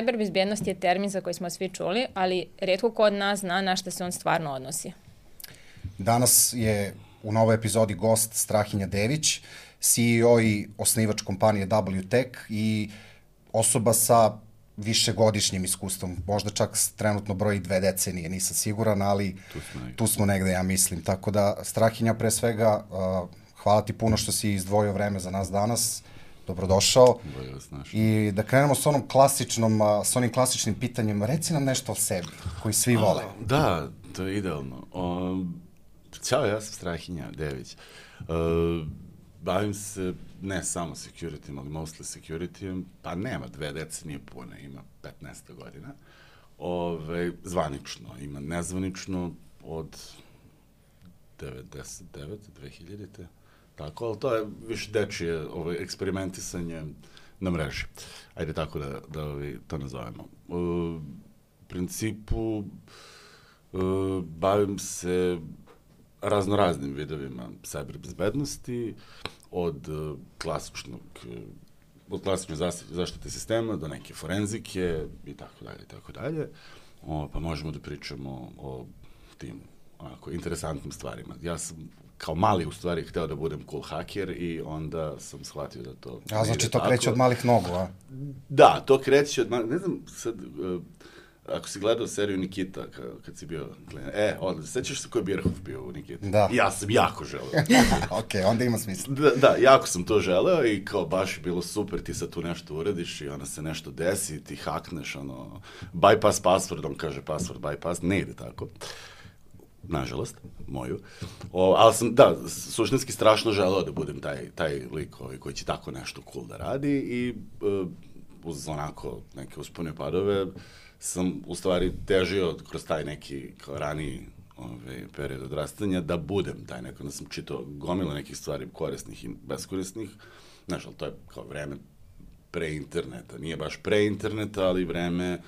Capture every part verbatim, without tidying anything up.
Cyber bezbjednost je termin za koji smo svi čuli, ali retko ko od nas zna na šta se on stvarno odnosi. Danas je u novoj epizodi gost Strahinja Dević, C E O i osnivač kompanije W Tech i osoba sa višegodišnjim iskustvom, možda čak trenutno broji dve decenije, nisam siguran, ali tu smo, tu smo negde, ja mislim. Tako da, Strahinja, pre svega, uh, hvala ti puno što si izdvojio vreme za nas danas, dobrodošao. I da krenemo s onom klasičnom, uh, s onim klasičnim pitanjem, reci nam nešto o sebi, koji svi vole. A, da, to je idealno. Um, Ćao, ja sam Strahinja Dević. Uh, Bavim se ne samo security, ali mostly security, pa nema dve decenije pune, ima petnaest godina. Ove, zvanično, ima nezvanično od devedeset devete, dve hiljadite. Tako, ali to je više dečije ovaj, eksperimentisanje na mreži. Ajde tako da, da ovaj, to nazovemo. U principu, uh, bavim se raznoraznim vidovima cyber bezbednosti, od uh, klasičnog, uh, od klasične zaštite sistema do neke forenzike i tako dalje, i tako dalje. O, pa možemo da pričamo o tim onako interesantnim stvarima. Ja sam kao mali u stvari hteo da budem cool haker i onda sam shvatio da to... A znači to kreće od malih nogu, a? Da, to kreće od malih, ne znam sad... Uh, ako si gledao seriju Nikita, kad si bio klinac, e, odlično, sećaš se ko je Birhoff bio u Nikita? Da. Ja sam jako želeo. Ok, onda ima smisla. Da, da, jako sam to želeo i kao baš je bilo super, ti sad tu nešto uradiš i onda se nešto desi, ti hakneš, ono, bypass password, on kaže password bypass, ne ide tako. Nažalost, moju. O, ali sam, da, suštinski strašno želeo da budem taj, taj lik ovaj, koji će tako nešto cool da radi i uh, uz onako neke uspone padove, sam u stvari težio kroz taj neki kao raniji ovaj, period odrastanja da budem taj neko, da sam čitao gomila nekih stvari korisnih i beskorisnih. Znaš, ali to je kao vreme pre interneta. Nije baš pre interneta, ali vreme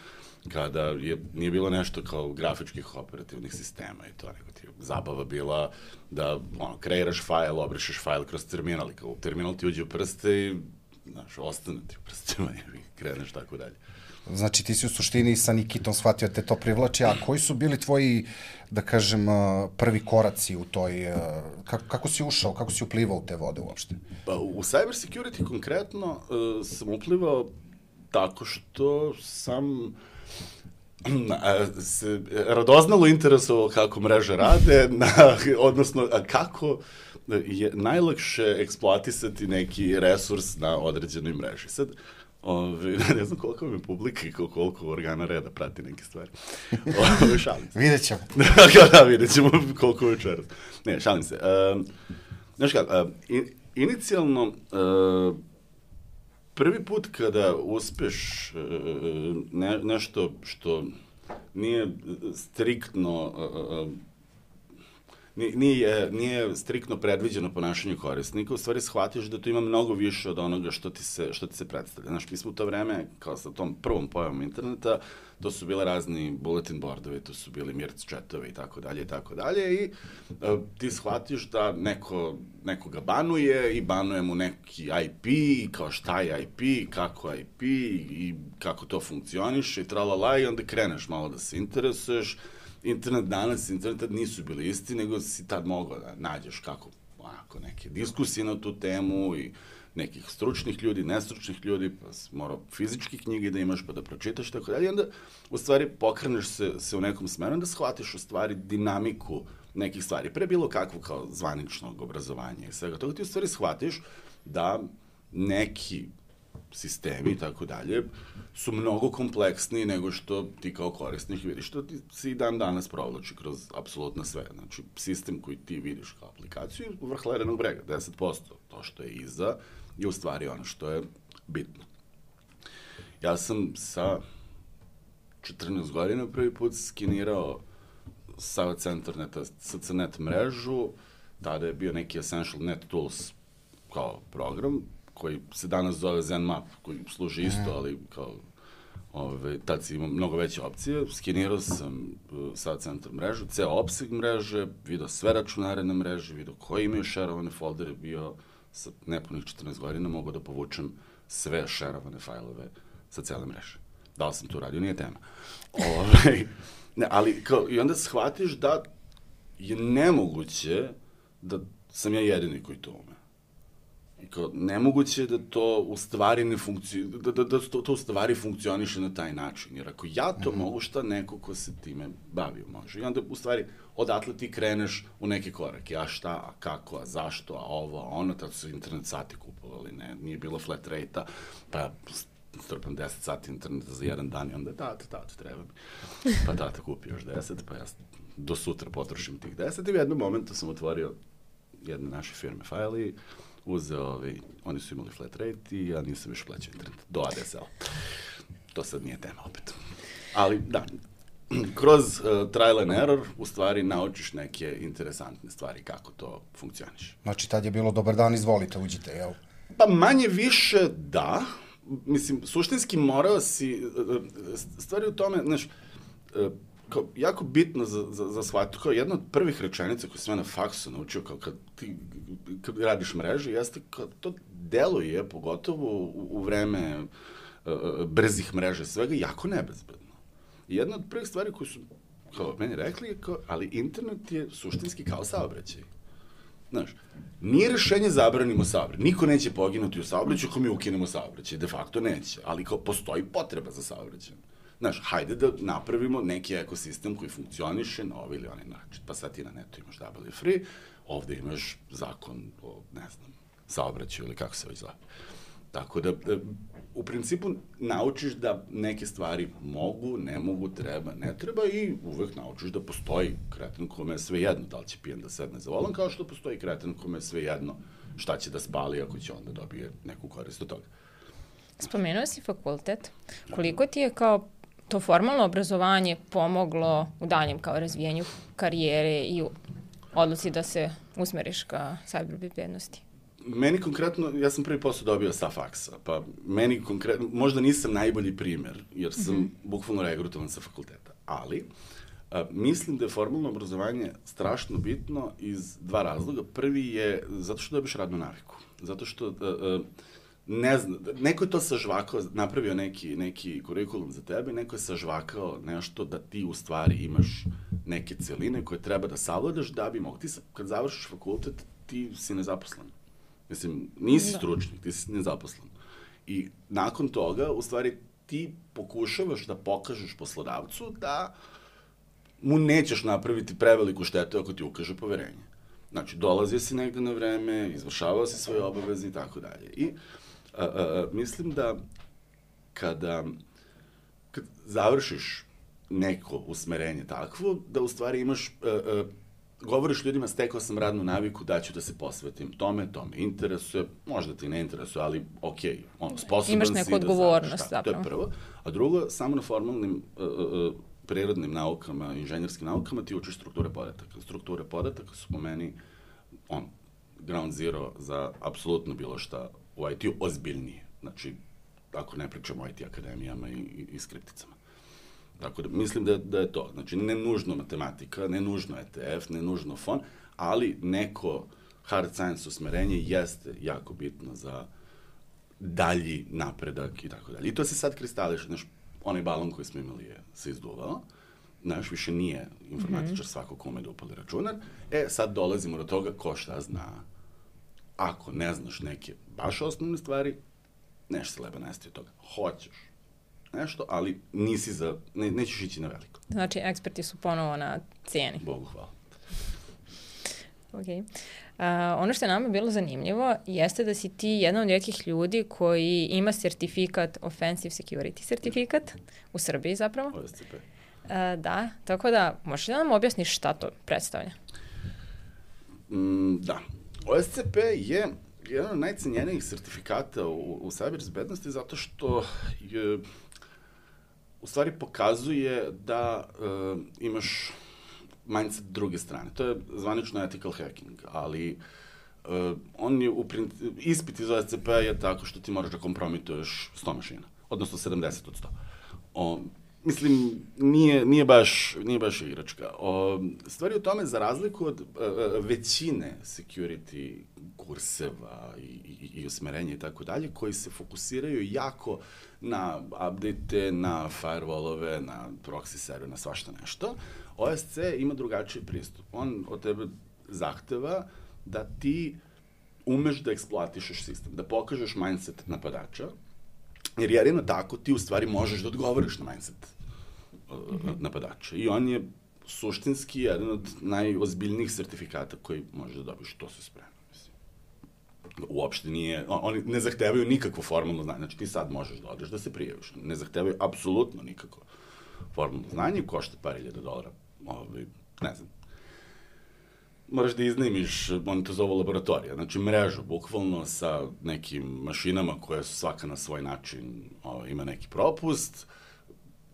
kada je, nije bilo nešto kao grafičkih operativnih sistema i to nego ti zabava bila da ono, kreiraš fajl, obrišeš fajl kroz terminal i kao u terminal ti uđe u prste i znaš, ostane ti u prstima i kreneš tako dalje. Znači, ti si u suštini sa Nikitom shvatio da te to privlači, a koji su bili tvoji, da kažem, prvi koraci u toj, kako, kako si ušao, kako si uplivao u te vode uopšte? Pa, u cyber security konkretno uh, sam uplivao tako što sam na, se radoznalo interesovao kako mreže rade, na, odnosno kako je najlakše eksploatisati neki resurs na određenoj mreži. Sad, Ove, ne znam koliko mi publika i koliko organa reda prati neke stvari. Ove, šalim se. Vidjet ćemo. da, da, vidjet ćemo koliko večeras. Ne, šalim se. Uh, znaš kako, uh, in, inicijalno, uh, prvi put kada uspeš uh, ne, nešto što nije striktno... Uh, Nije, nije striktno predviđeno ponašanje korisnika, u stvari shvatiš da to ima mnogo više od onoga što ti se, što ti se predstavlja. Znaš, mi smo u to vreme, kao sa tom prvom pojavom interneta, to su bile razni bulletin boardovi, to su bili mirc chatovi i tako dalje i tako dalje i uh, ti shvatiš da neko, nekoga banuje i banuje mu neki I P i kao šta je I P, kako I P i kako to funkcioniše i tralala i onda kreneš malo da se interesuješ. Internet danas, internet tad nisu bili isti, nego si tad mogao da nađeš kako, onako, neke diskusije na tu temu i nekih stručnih ljudi, nestručnih ljudi, pa si morao fizički knjige da imaš pa da pročitaš, tako dalje. I onda, u stvari, pokreneš se, se u nekom smeru da shvatiš, u stvari, dinamiku nekih stvari. Pre bilo kakvo kao zvaničnog obrazovanja i svega toga, ti u stvari shvatiš da neki sistemi i tako dalje su mnogo kompleksniji nego što ti kao korisnik vidiš, što ti se i dan danas provlači kroz apsolutno sve. Znači, sistem koji ti vidiš kao aplikaciju je vrh ledenog brega, deset posto. To što je iza je u stvari ono što je bitno. Ja sam sa četrnaest godina prvi put skenirao Sava Centerneta, S C Net mrežu, tada je bio neki Essential Net Tools kao program, koji se danas zove ZenMap, koji služi isto, ali kao, ove, tad si imao mnogo veće opcije. Skenirao sam uh, Sava Centar mrežu, ceo opseg mreže, vidio sve računare na mreži, vidio koji imaju šerovane foldere, bio sa nepunih četrnaest godina, mogu da povučem sve šerovane fajlove sa cele mreže. Da li sam to uradio, nije tema. Ove, ne, ali kao, i onda shvatiš da je nemoguće da sam ja jedini koji to ume. I kao, nemoguće je da to u stvari ne funkci... da, da, da to, to u stvari funkcioniše na taj način. Jer ako ja to mm-hmm. mogu, šta neko ko se time bavio može. I onda u stvari odatle ti kreneš u neke korake. A šta, a kako, a zašto, a ovo, a ono, tad su internet sati kupovali, ne, nije bilo flat rate-a, pa strpam deset sati interneta za jedan dan i onda tata, tata, treba mi. Pa tata kupi još deset, pa ja do sutra potrošim tih deset i u jednom momentu sam otvorio jedne naše firme File, uzeo, ovi, oni su imali flat rate i ja nisam još plaćao internet, do A D S L. To sad nije tema opet. Ali, da, kroz uh, trial and error, u stvari, naučiš neke interesantne stvari kako to funkcioniše. Znači, tad je bilo dobar dan, izvolite, uđite, jel? Pa manje više da. Mislim, suštinski morao si, stvari u tome, znaš, kao, jako bitno za, za, za shvatiti, kao jedna od prvih rečenica koju sam ja na faksu naučio, kao kad ti kad radiš mrežu, jeste kao to deluje, pogotovo u, u vreme uh, brzih mreža svega, jako nebezbedno. I jedna od prvih stvari koju su, kao meni rekli, je kao, ali internet je suštinski kao saobraćaj. Znaš, nije rešenje zabranimo saobraćaj. Niko neće poginuti u saobraćaju ako mi ukinemo saobraćaj. De facto neće. Ali kao postoji potreba za saobraćajem. Znaš, hajde da napravimo neki ekosistem koji funkcioniše na ovaj ili onaj način. Pa sad ti na netu imaš double free, ovde imaš zakon o, ne znam, saobraćaju ili kako se već zove. Tako da, da, u principu naučiš da neke stvari mogu, ne mogu, treba, ne treba i uvek naučiš da postoji kreten kome je sve jedno da li će pijan da sedne za volan, kao što postoji kreten kome je sve jedno šta će da spali ako će onda dobije neku korist od toga. Spomenuo si fakultet. Koliko ti je kao to formalno obrazovanje pomoglo u daljem kao razvijenju karijere i u odluci da se usmeriš ka cyber bezbednosti? Meni konkretno, ja sam prvi posao dobio sa faksa, pa meni konkretno, možda nisam najbolji primer, jer sam mm-hmm. bukvalno regrutovan sa fakulteta, ali a, mislim da je formalno obrazovanje strašno bitno iz dva razloga. Prvi je zato što dobiš radnu naviku, zato što a, a, ne znam, neko je to sažvakao, napravio neki, neki kurikulum za tebe, neko je sažvakao nešto da ti u stvari imaš neke celine koje treba da savladaš da bi mogu. Ti kad završiš fakultet, ti si nezaposlen. Mislim, nisi da. stručnik, ti si nezaposlen. I nakon toga, u stvari, ti pokušavaš da pokažeš poslodavcu da mu nećeš napraviti preveliku štetu ako ti ukaže poverenje. Znači, dolazio si negde na vreme, izvršavao si svoje obaveze i tako dalje. I a, a, mislim da kada kad završiš neko usmerenje takvo, da u stvari imaš... A, a, govoriš ljudima, stekao sam radnu naviku da ću da se posvetim tome, to me interesuje, možda ti ne interesuje, ali okej, ono, sposoban imaš si neku da odgovornost, znaš, to je prvo. A drugo, samo na formalnim uh, uh, prirodnim naukama, inženjerskim naukama ti učiš strukture podataka. Strukture podataka su po meni on, ground zero za apsolutno bilo šta u I T-u ozbiljnije. Znači, ako ne pričamo o I T akademijama i, i, i skripticama. Tako da, mislim da, da je to. Znači, ne nužno matematika, ne nužno E T F, ne nužno fon, ali neko hard science usmerenje jeste jako bitno za dalji napredak i tako dalje. I to se sad kristališe. Znaš, onaj balon koji smo imali je se izduvao. Znaš, više nije informatičar svako kome da upali računar. E, sad dolazimo do toga ko šta zna. Ako ne znaš neke baš osnovne stvari, nešto se leba nesti od toga. Hoćeš nešto, ali nisi za, ne, nećeš ići na veliko. Znači, eksperti su ponovo na cijeni. Bogu hvala. Ok. Uh, ono što je nama bilo zanimljivo jeste da si ti jedan od rijetkih ljudi koji ima sertifikat, Offensive Security sertifikat, u Srbiji zapravo. O S C P. Uh, da, tako da, možeš da nam objasniš šta to predstavlja? Mm, da. O S C P je jedan od najcenjenijih sertifikata u, u cyber bezbednosti zato što je u stvari pokazuje da uh, imaš mindset druge strane. To je zvanično ethical hacking, ali uh, on je u principu, ispit iz O S C P je tako što ti moraš da kompromituješ sto mašina, odnosno sedamdeset od sto. O, mislim, nije, nije, baš, nije baš igračka. O, stvari u tome, za razliku od uh, većine security kurseva i, i, i usmerenja i tako dalje, koji se fokusiraju jako na update-e, na firewall-ove, na proxy server, na svašta nešto. O S C ima drugačiji pristup. On od tebe zahteva da ti umeš da eksploatišeš sistem, da pokažeš mindset napadača, jer jedino tako ti u stvari možeš da odgovoriš na mindset uh, mm-hmm. napadača. I on je suštinski jedan od najozbiljnijih sertifikata koji možeš da dobiš, to se sprema. Uopšte nije, oni ne zahtevaju nikakvo formalno znanje, znači ti sad možeš da odeš da se prijaviš, ne zahtevaju apsolutno nikakvo formalno znanje, košta par hiljada dolara, ovaj, ne znam. Moraš da iznajmiš, oni to zovu laboratorija, znači mrežu, bukvalno sa nekim mašinama koje su svaka na svoj način, ovaj, ima neki propust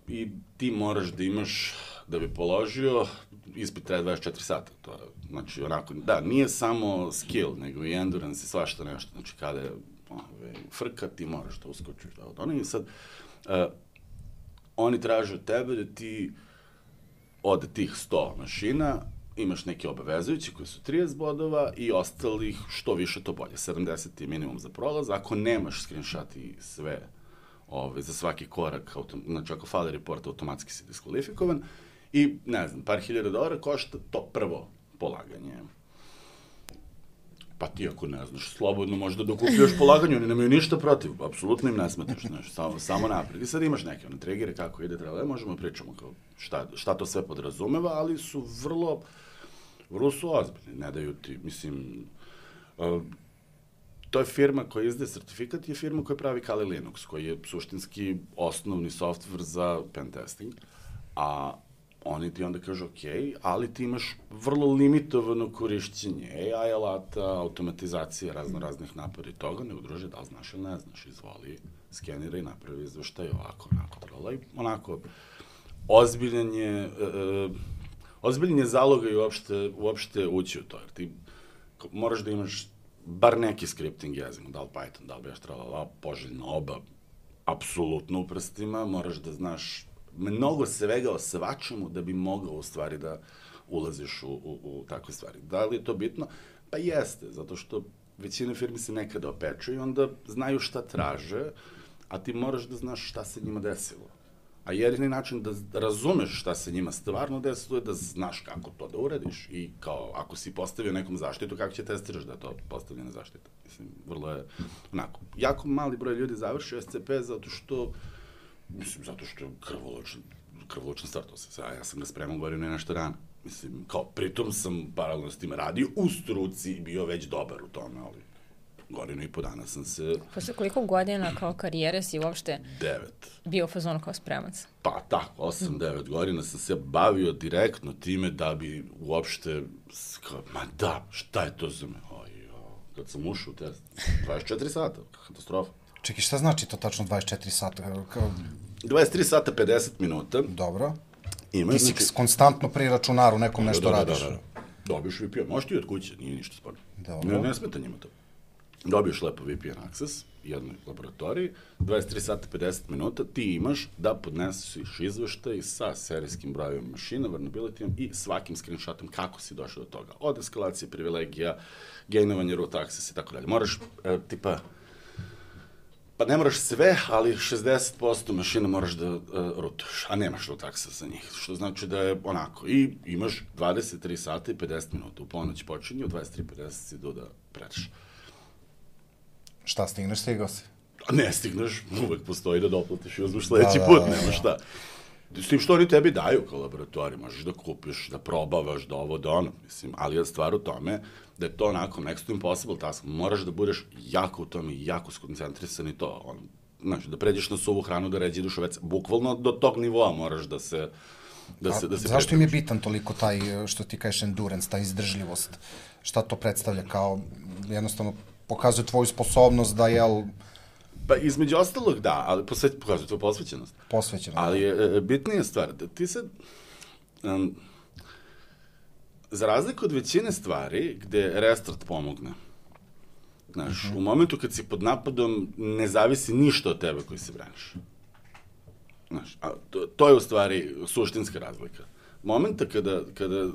i ti moraš da imaš, da bi položio, ispit traje dvadeset četiri sata, to je, znači, onako, da, nije samo skill, nego i endurance i svašta nešto, znači, kada je ove, frka, ti moraš da uskočiš, da, od onih, sad, uh, oni traže od tebe da ti od tih sto mašina imaš neke obavezujuće koji su trideset bodova i ostalih što više to bolje, sedamdeset je minimum za prolaz, ako nemaš screenshot i sve ove, za svaki korak, autom, znači, ako fali report, automatski si diskvalifikovan, i, ne znam, par hiljada dolara košta to prvo polaganje. Pa ti ako ne znaš, slobodno možda dok uključuješ polaganje, oni nemaju ništa protiv, apsolutno im ne smetaš, znaš, samo, samo napred. I sad imaš neke one trigere, kako ide, treba, možemo pričamo kao šta, šta to sve podrazumeva, ali su vrlo, vrlo su ozbiljni, ne daju ti, mislim, uh, to je firma koja izdaje sertifikat, je firma koja pravi Kali Linux, koji je suštinski osnovni software za pen testing, a oni ti onda kažu, ok, ali ti imaš vrlo limitovano korišćenje A I alata, automatizacije razno raznih napada i toga, ne udruže da li znaš ili ne znaš, izvoli, skenira i napravi izveštaj ovako, onako, trola i onako, ozbiljan je, uh, ozbiljan je zaloga i uopšte, uopšte ući u to, jer ti moraš da imaš bar neki scripting jezik, da li Python, da li Bash, tralala, poželjno oba, apsolutno u prstima, moraš da znaš mnogo svega o svačemu da bi mogao u stvari da ulaziš u, u, u takve stvari. Da li je to bitno? Pa jeste, zato što većina firmi se nekada opeču i onda znaju šta traže, a ti moraš da znaš šta se njima desilo. A jedini način da razumeš šta se njima stvarno desilo je da znaš kako to da uradiš i kao ako si postavio nekom zaštitu, kako će testiraš da je to postavljena zaštita. Mislim, vrlo je onako. Jako mali broj ljudi završi S C P zato što Mislim, zato što je krvoločan, krvoločan startao se. A ja sam ga spremao godinu i nešto rana. Mislim, kao, pritom sam paralelno s tim radio u struci i bio već dobar u tome, ali godinu i po dana sam se... Posle koliko godina kao karijere si uopšte Devet. bio u fazonu kao spremac? Pa tako, osam, devet godina sam se bavio direktno time da bi uopšte, kao, ma da, šta je to za me? Oj, kad sam ušao u test, dvadeset četiri sata, katastrofa. Čekaj, šta znači to tačno dvadeset četiri sata? Kao... dvadeset tri sata pedeset minuta. Dobro. Ima, ti si znači... konstantno pri računaru nekom nešto da, da, radiš. Da, da, da. Dobiješ V P N. Možeš ti od kuće, nije ništa sporno. Dobro. Ne, ne smeta njima to. Dobiješ lepo V P N access, jednoj laboratoriji, dvadeset tri sata pedeset minuta, ti imaš da podneseš izveštaj sa serijskim brojem mašina, vulnerabilityom i svakim screenshotom kako si došao do toga. Od eskalacije privilegija, gainovanje root access i tako dalje. Moraš, e, tipa, pa ne moraš sve, ali šezdeset posto mašina moraš da uh, rootuješ, a nemaš root access za njih, što znači da je onako. I imaš dvadeset tri sata i pedeset minuta, u ponoć počinje, u dvadeset tri pedeset si do da predaš. Šta stigneš, stigao si? A ne stigneš, uvek postoji da doplatiš i uzmeš sledeći da, put, da, nema šta. S tim što oni tebi daju kao laboratorij, možeš da kupiš, da probavaš, da ovo, da ono, mislim, ali je stvar u tome da je to onako next to impossible task, moraš da budeš jako u tome i jako skoncentrisan i to, on, znači, da pređeš na suvu hranu, da ređi dušovec, bukvalno do tog nivoa moraš da se da se, da se zašto im je bitan toliko taj, što ti kažeš, endurance, ta izdržljivost? Šta to predstavlja kao, jednostavno, pokazuje tvoju sposobnost da, jel... Pa između ostalog da, ali posveć, pokazuje tvoju posvećenost. Posvećenost. Ali je e, bitnija stvar, da ti sad, um, za razliku od većine stvari gde restart pomogne, znaš, uh-huh. u momentu kad si pod napadom ne zavisi ništa od tebe koji se braniš. Znaš, a to, to je u stvari suštinska razlika. Momenta kada, kada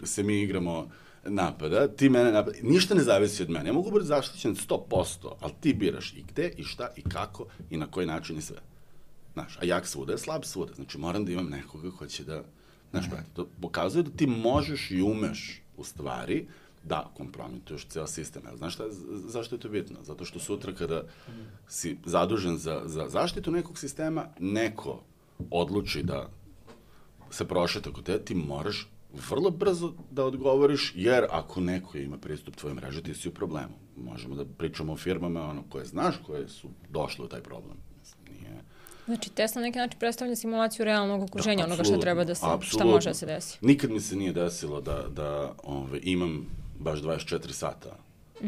se mi igramo napada, ti mene napada, ništa ne zavisi od mene. Ja mogu biti zaštićen sto posto, ali ti biraš i gde, i šta, i kako, i na koji način i sve. Znaš, a jak svuda je slab svuda. Znači, moram da imam nekoga ko će da, znaš, brate, to pokazuje da ti možeš i umeš, u stvari, da kompromituješ ceo sistem. Znaš šta, zašto je to bitno? Zato što sutra kada si zadužen za, za zaštitu nekog sistema, neko odluči da se prošeta kod te, ti moraš vrlo brzo da odgovoriš, jer ako neko ima pristup tvojoj mreži, ti si u problemu. Možemo da pričamo o firmama ono, koje znaš, koje su došle u taj problem. Mislim, nije... Znači, test na neki način predstavlja simulaciju realnog okruženja, da, onoga što treba da se, apsolutno. Šta može da se desi. Nikad mi se nije desilo da, da ove, imam baš dvadeset četiri sata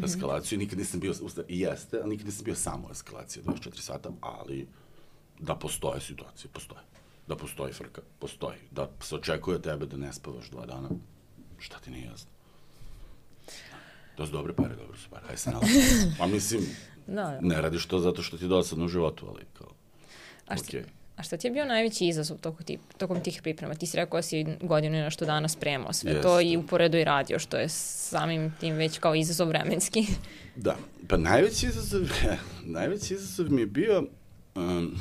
eskalaciju, nikad nisam bio, i jeste, ali nikad nisam bio samo u eskalaciji dvadeset četiri sata, ali da postoje situacije, postoje. Da postoji frka, postoji. Da se očekuje tebe da ne spavaš dva dana, šta ti nije jasno? To su dobre pare, dobro su pare, aj se nalazi. Pa mislim, da, da. Ne radiš to zato što ti je dosadno u životu, ali kao, a šta, okay. A šta ti je bio najveći izazov tokom, ti, tokom tih priprema? Ti si rekao da si godinu i nešto dana spremao sve yes. to i uporedo i radio, što je samim tim već kao izazov vremenski. Da, pa najveći izazov, najveći izazov mi je bio... Um,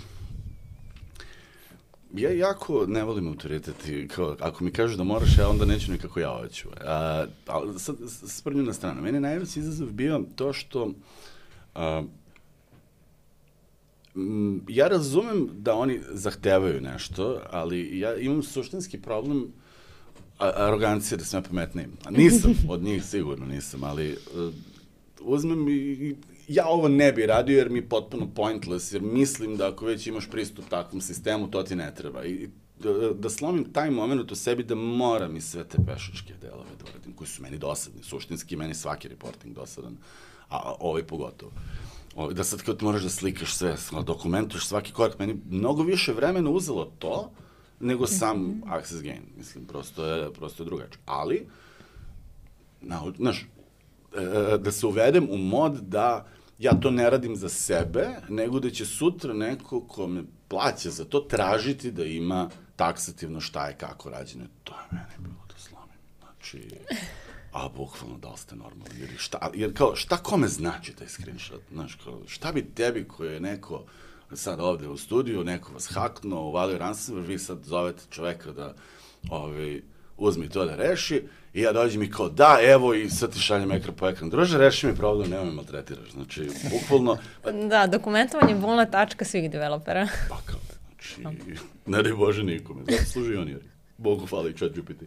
ja jako ne volim autoritet i kao, ako mi kažu da moraš, ja onda neću nikako ja hoću. A, ali sad, sprnju na stranu. Meni je najveći izazov bio to što a, m, ja razumem da oni zahtevaju nešto, ali ja imam suštinski problem a, arogancije da sam ja pametniji. Nisam, od njih sigurno nisam, ali a, uzmem i, i ja ovo ne bi radio jer mi je potpuno pointless, jer mislim da ako već imaš pristup takvom sistemu, to ti ne treba. I da, da slomim taj moment u sebi da moram i sve te pešačke delove da uradim, koji su meni dosadni. Suštinski, meni svaki reporting dosadan, a ovaj pogotovo. O, da sad kao ti moraš da slikaš sve, dokumentuješ svaki korak, meni mnogo više vremena uzelo to, nego sam access gain. Mislim, prosto je, prosto je drugačije. Ali, na, znaš, da se uvedem u mod da ja to ne radim za sebe, nego da će sutra neko ko me plaća za to tražiti da ima taksativno šta je kako rađeno. To je mene bilo da slomim. Znači, a bukvalno da li ste normalni, jer, šta, jer kao, šta kome znači taj screenshot? Znaš, kao, šta bi tebi koji je neko sad ovde u studiju, neko vas haknuo, uvalio ransomware, vi sad zovete čoveka da ovaj, uzmi to da reši, i ja dođem i kao, da, evo, i sad ti šaljem ekran po ekran. Druže, reši mi problem, nemoj me maltretiraš. Znači, bukvalno... Da, dokumentovanje je bolna tačka svih developera. Pa kao, znači, ne daj Bože nikome. Zato služi on, jer Bogu hvala i chat G P T.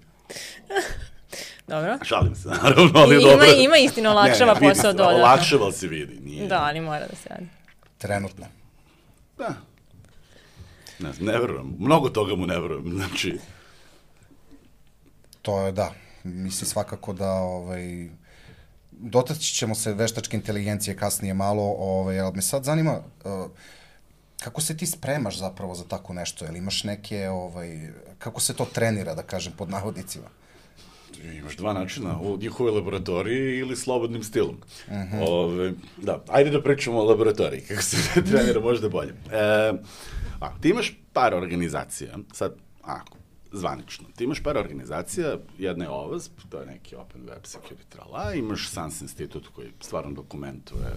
Dobro. Šalim se, naravno, ali ima, dobro. Ima istino, olakšava ne, ne, posao dodatno. Olakšava se vidi, nije. Da, ali mora da se radi. Trenutno. Da. Ne znam, ne verujem. Mnogo toga mu ne verujem, znači... To je, da. Mislim svakako da ovaj, dotaći ćemo se veštačke inteligencije kasnije malo, ovaj, ali me sad zanima uh, kako se ti spremaš zapravo za tako nešto, jel imaš neke, ovaj, kako se to trenira, da kažem, pod navodnicima? Imaš dva načina, u njihovoj laboratoriji ili slobodnim stilom. Uh-huh. Ove, da, ajde da pričamo o laboratoriji, kako se trenira možda bolje. E, a, ti imaš par organizacija, sad, ako, zvanično. Ti imaš par organizacija, jedna je O V A S P, to je neki Open Web Security trala, imaš S A N S institut koji stvarno dokumentuje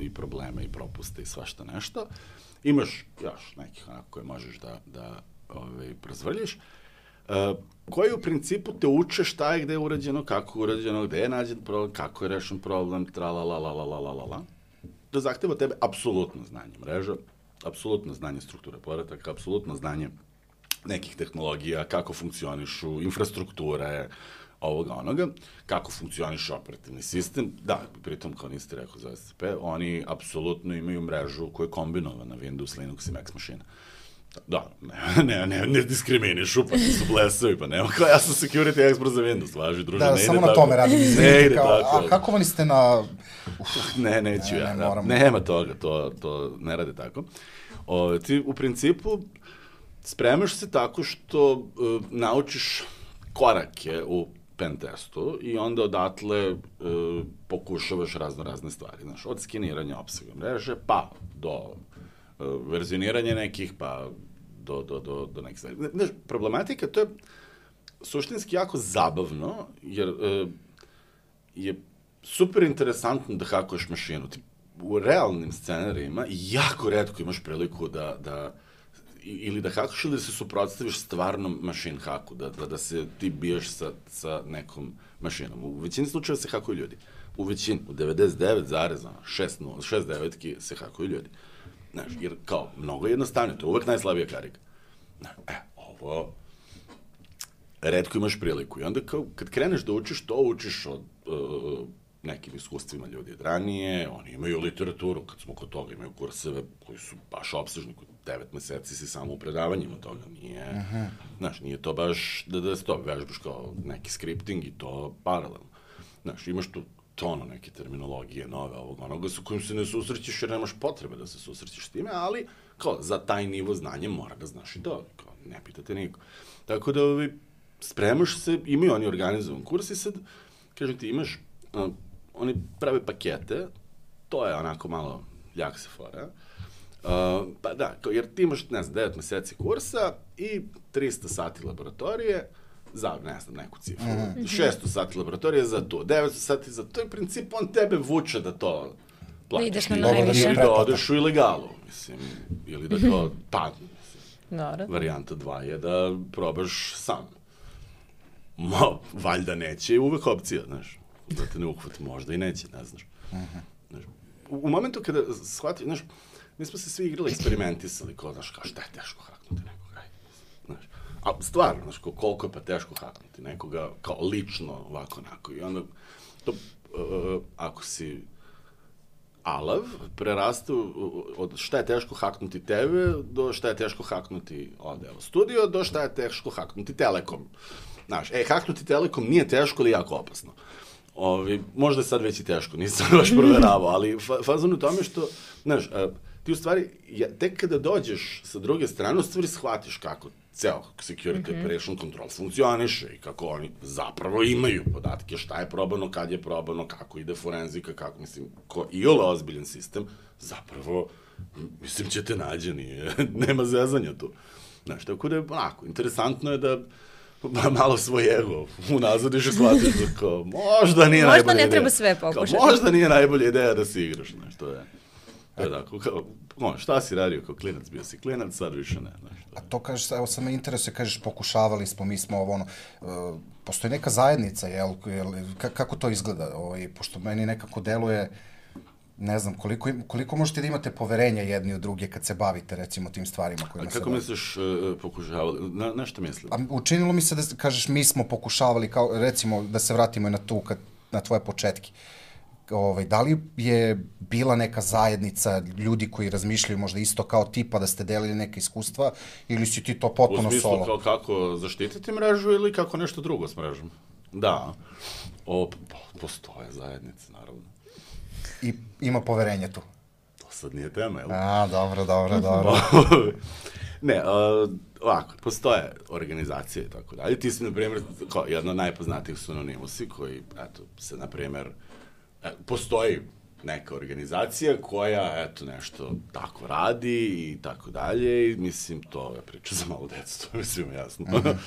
i probleme i propuste i svašta nešto. Imaš još nekih onako koje možeš da, da ovaj, prozvrljiš, uh, koji u principu te uče šta je gde je urađeno, kako je urađeno, gde je nađen problem, kako je rešen problem, tralalalalalalala. To zahteva tebe apsolutno znanje mreža, apsolutno znanje strukture podataka, apsolutno znanje nekih tehnologija, kako funkcionišu, infrastrukture, ovoga, onoga, kako funkcioniše operativni sistem. Da, pritom, kao niste rekao za S C P, oni apsolutno imaju mrežu koja je kombinovana Windows, Linux i Mac mašina. Da, ne, ne, ne, ne diskriminišu, pa su blesavi, pa nema kao ja sam security expert za Windows, važi, druže, da, ne ide tako. Da, samo tako. na tome radim, izvinite, kao, tako. A kako vali ste na... Uf, ne, neću ne, ja, ne, da, moram... nema toga, to, to ne rade tako. O, ti, u principu, spremaš se tako što uh, naučiš korake u pen testu i onda odatle uh, pokušavaš razno razne stvari. Znaš, od skeniranja opsega mreže, pa do uh, verzioniranja nekih, pa do, do, do, do nekih stvari. Znaš, problematika, to je suštinski jako zabavno, jer uh, je super interesantno da hakuješ mašinu. Ti u realnim scenarijima jako retko imaš priliku da, da ili da hakaš ili da se suprotstaviš stvarnom mašin haku, da, da, da se ti biješ sa, sa nekom mašinom. U većini slučajeva se hakuju ljudi. U većini, u devedeset devet zarez šest devet se hakuju ljudi. Znaš, jer kao, mnogo jednostavnije, to je uvek najslabija karika. E, ovo, retko imaš priliku. I onda kao, kad kreneš da učiš, to učiš od uh, nekim iskustvima ljudi od ranije, oni imaju literaturu, kad smo kod toga, imaju kurseve koji su baš opsežni, kod devet meseci si samo u predavanjima toga, nije, uh-huh. znaš, nije to baš da da se to vežbaš kao neki skripting i to paralelno. Znaš, imaš tu tono neke terminologije nove ovog onoga sa kojim se ne susrećeš jer nemaš potrebe da se susrećeš s time, ali kao za taj nivo znanja mora da znaš i to, kao ne pitate niko. Tako da ovi, spremaš se, imaju oni organizovan kurs i sad, kažem ti, imaš, uh, oni prave pakete, to je onako malo ljak se fora, uh, pa da, kao, jer ti imaš, ne znam, devet meseci kursa i trista sati laboratorije, za, ne znam, neku cifru. Mm-hmm. šesto sati laboratorije za to, devetsto sati za to i princip on tebe vuče da to plaćaš. Da ideš na najviše. Ili da odeš u ilegalu, mislim, ili da to padne. Dobro. Varijanta dva je da probaš sam. Mo, valjda neće, uvek opcija, znaš. Da te ne uhvati, možda i neće, ne znaš. Mm-hmm. Znaš, u, u momentu kada shvati, znaš, mi smo se svi igrali, eksperimentisali, kao, znaš, kao šta je teško haknuti nekoga, znaš. A stvarno, znaš, koliko je pa teško haknuti nekoga, kao lično, ovako, onako. I onda, to, uh, ako si alav, preraste od šta je teško haknuti tebe, do šta je teško haknuti ovde, evo, studio, do šta je teško haknuti Telekom. Znaš, e, haknuti Telekom nije teško, ali jako opasno. Ovi, možda je sad već i teško, nisam baš proveravao, ali fa, fazon u tome što, znaš, uh, ti u stvari, ja, tek kada dođeš sa druge strane, u stvari shvatiš kako ceo security mm-hmm. operation control funkcioniše i kako oni zapravo imaju podatke, šta je probano, kad je probano, kako ide forenzika, kako, mislim, ko iole ozbiljan sistem, zapravo, mislim, će te nađe, nije, nema zezanja tu. Znaš, tako da je, onako, interesantno je da malo svoj ego unazadiš i shvatiš da kao, možda nije možda najbolja ideja. Možda ne treba sve pokušati. Kao, možda nije najbolja ideja da si igraš, znaš, to je. To je tako, kao, no, šta si radio kao klinac, bio si klinac, sad više ne, znaš. To. A to kažeš, evo sam me interesuje, kažeš, pokušavali smo, mi smo ovo, ono, uh, postoji neka zajednica, jel, jel kako to izgleda, ovaj, pošto meni nekako deluje, ne znam, koliko, koliko možete da imate poverenja jedni od druge kad se bavite, recimo, tim stvarima kojima se... A kako misliš uh, pokušavali? Na, na što misliš? A učinilo mi se da kažeš, mi smo pokušavali, kao, recimo, da se vratimo na tu, kad, na tvoje početke. Ovaj, da li je bila neka zajednica ljudi koji razmišljaju možda isto kao ti, pa da ste delili neke iskustva, ili si ti to potpuno solo? U smislu solo? Kao kako zaštititi mrežu ili kako nešto drugo s mrežom? Da. O, postoje zajednice, naravno. I ima poverenje tu? To sad nije tema, jel? A, dobro, dobro, dobro. Ne, uh, ovako, postoje organizacije i tako dalje. Ti si, na primjer, kao jedna od najpoznatijih su Anonimusi, koji, eto, se, na primjer, e, postoji neka organizacija koja, eto, nešto tako radi i tako dalje i, mislim, to je priča za malo djecu, to je svima jasno. Mm-hmm.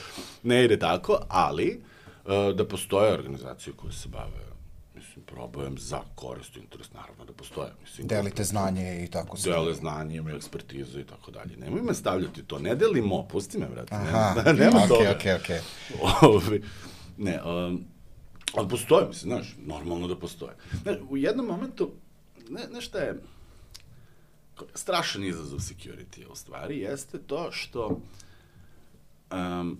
Ne ide tako, ali uh, da postoje organizacije koje se bave, mislim, probajem za korist i interes, naravno da postoje. Mislim, delite znanje i tako se. Dele znanje, imaju ekspertizu i tako dalje. Nemoj me stavljati to, ne delimo, pusti me, vrati. Aha, nema, nema okay, toga. Okej, okej, okej. Ne, um, ali postoje, mislim, znaš, normalno da postoje. Znaš, u jednom momentu, ne, ne šta je, strašan izazov security u stvari, jeste to što um,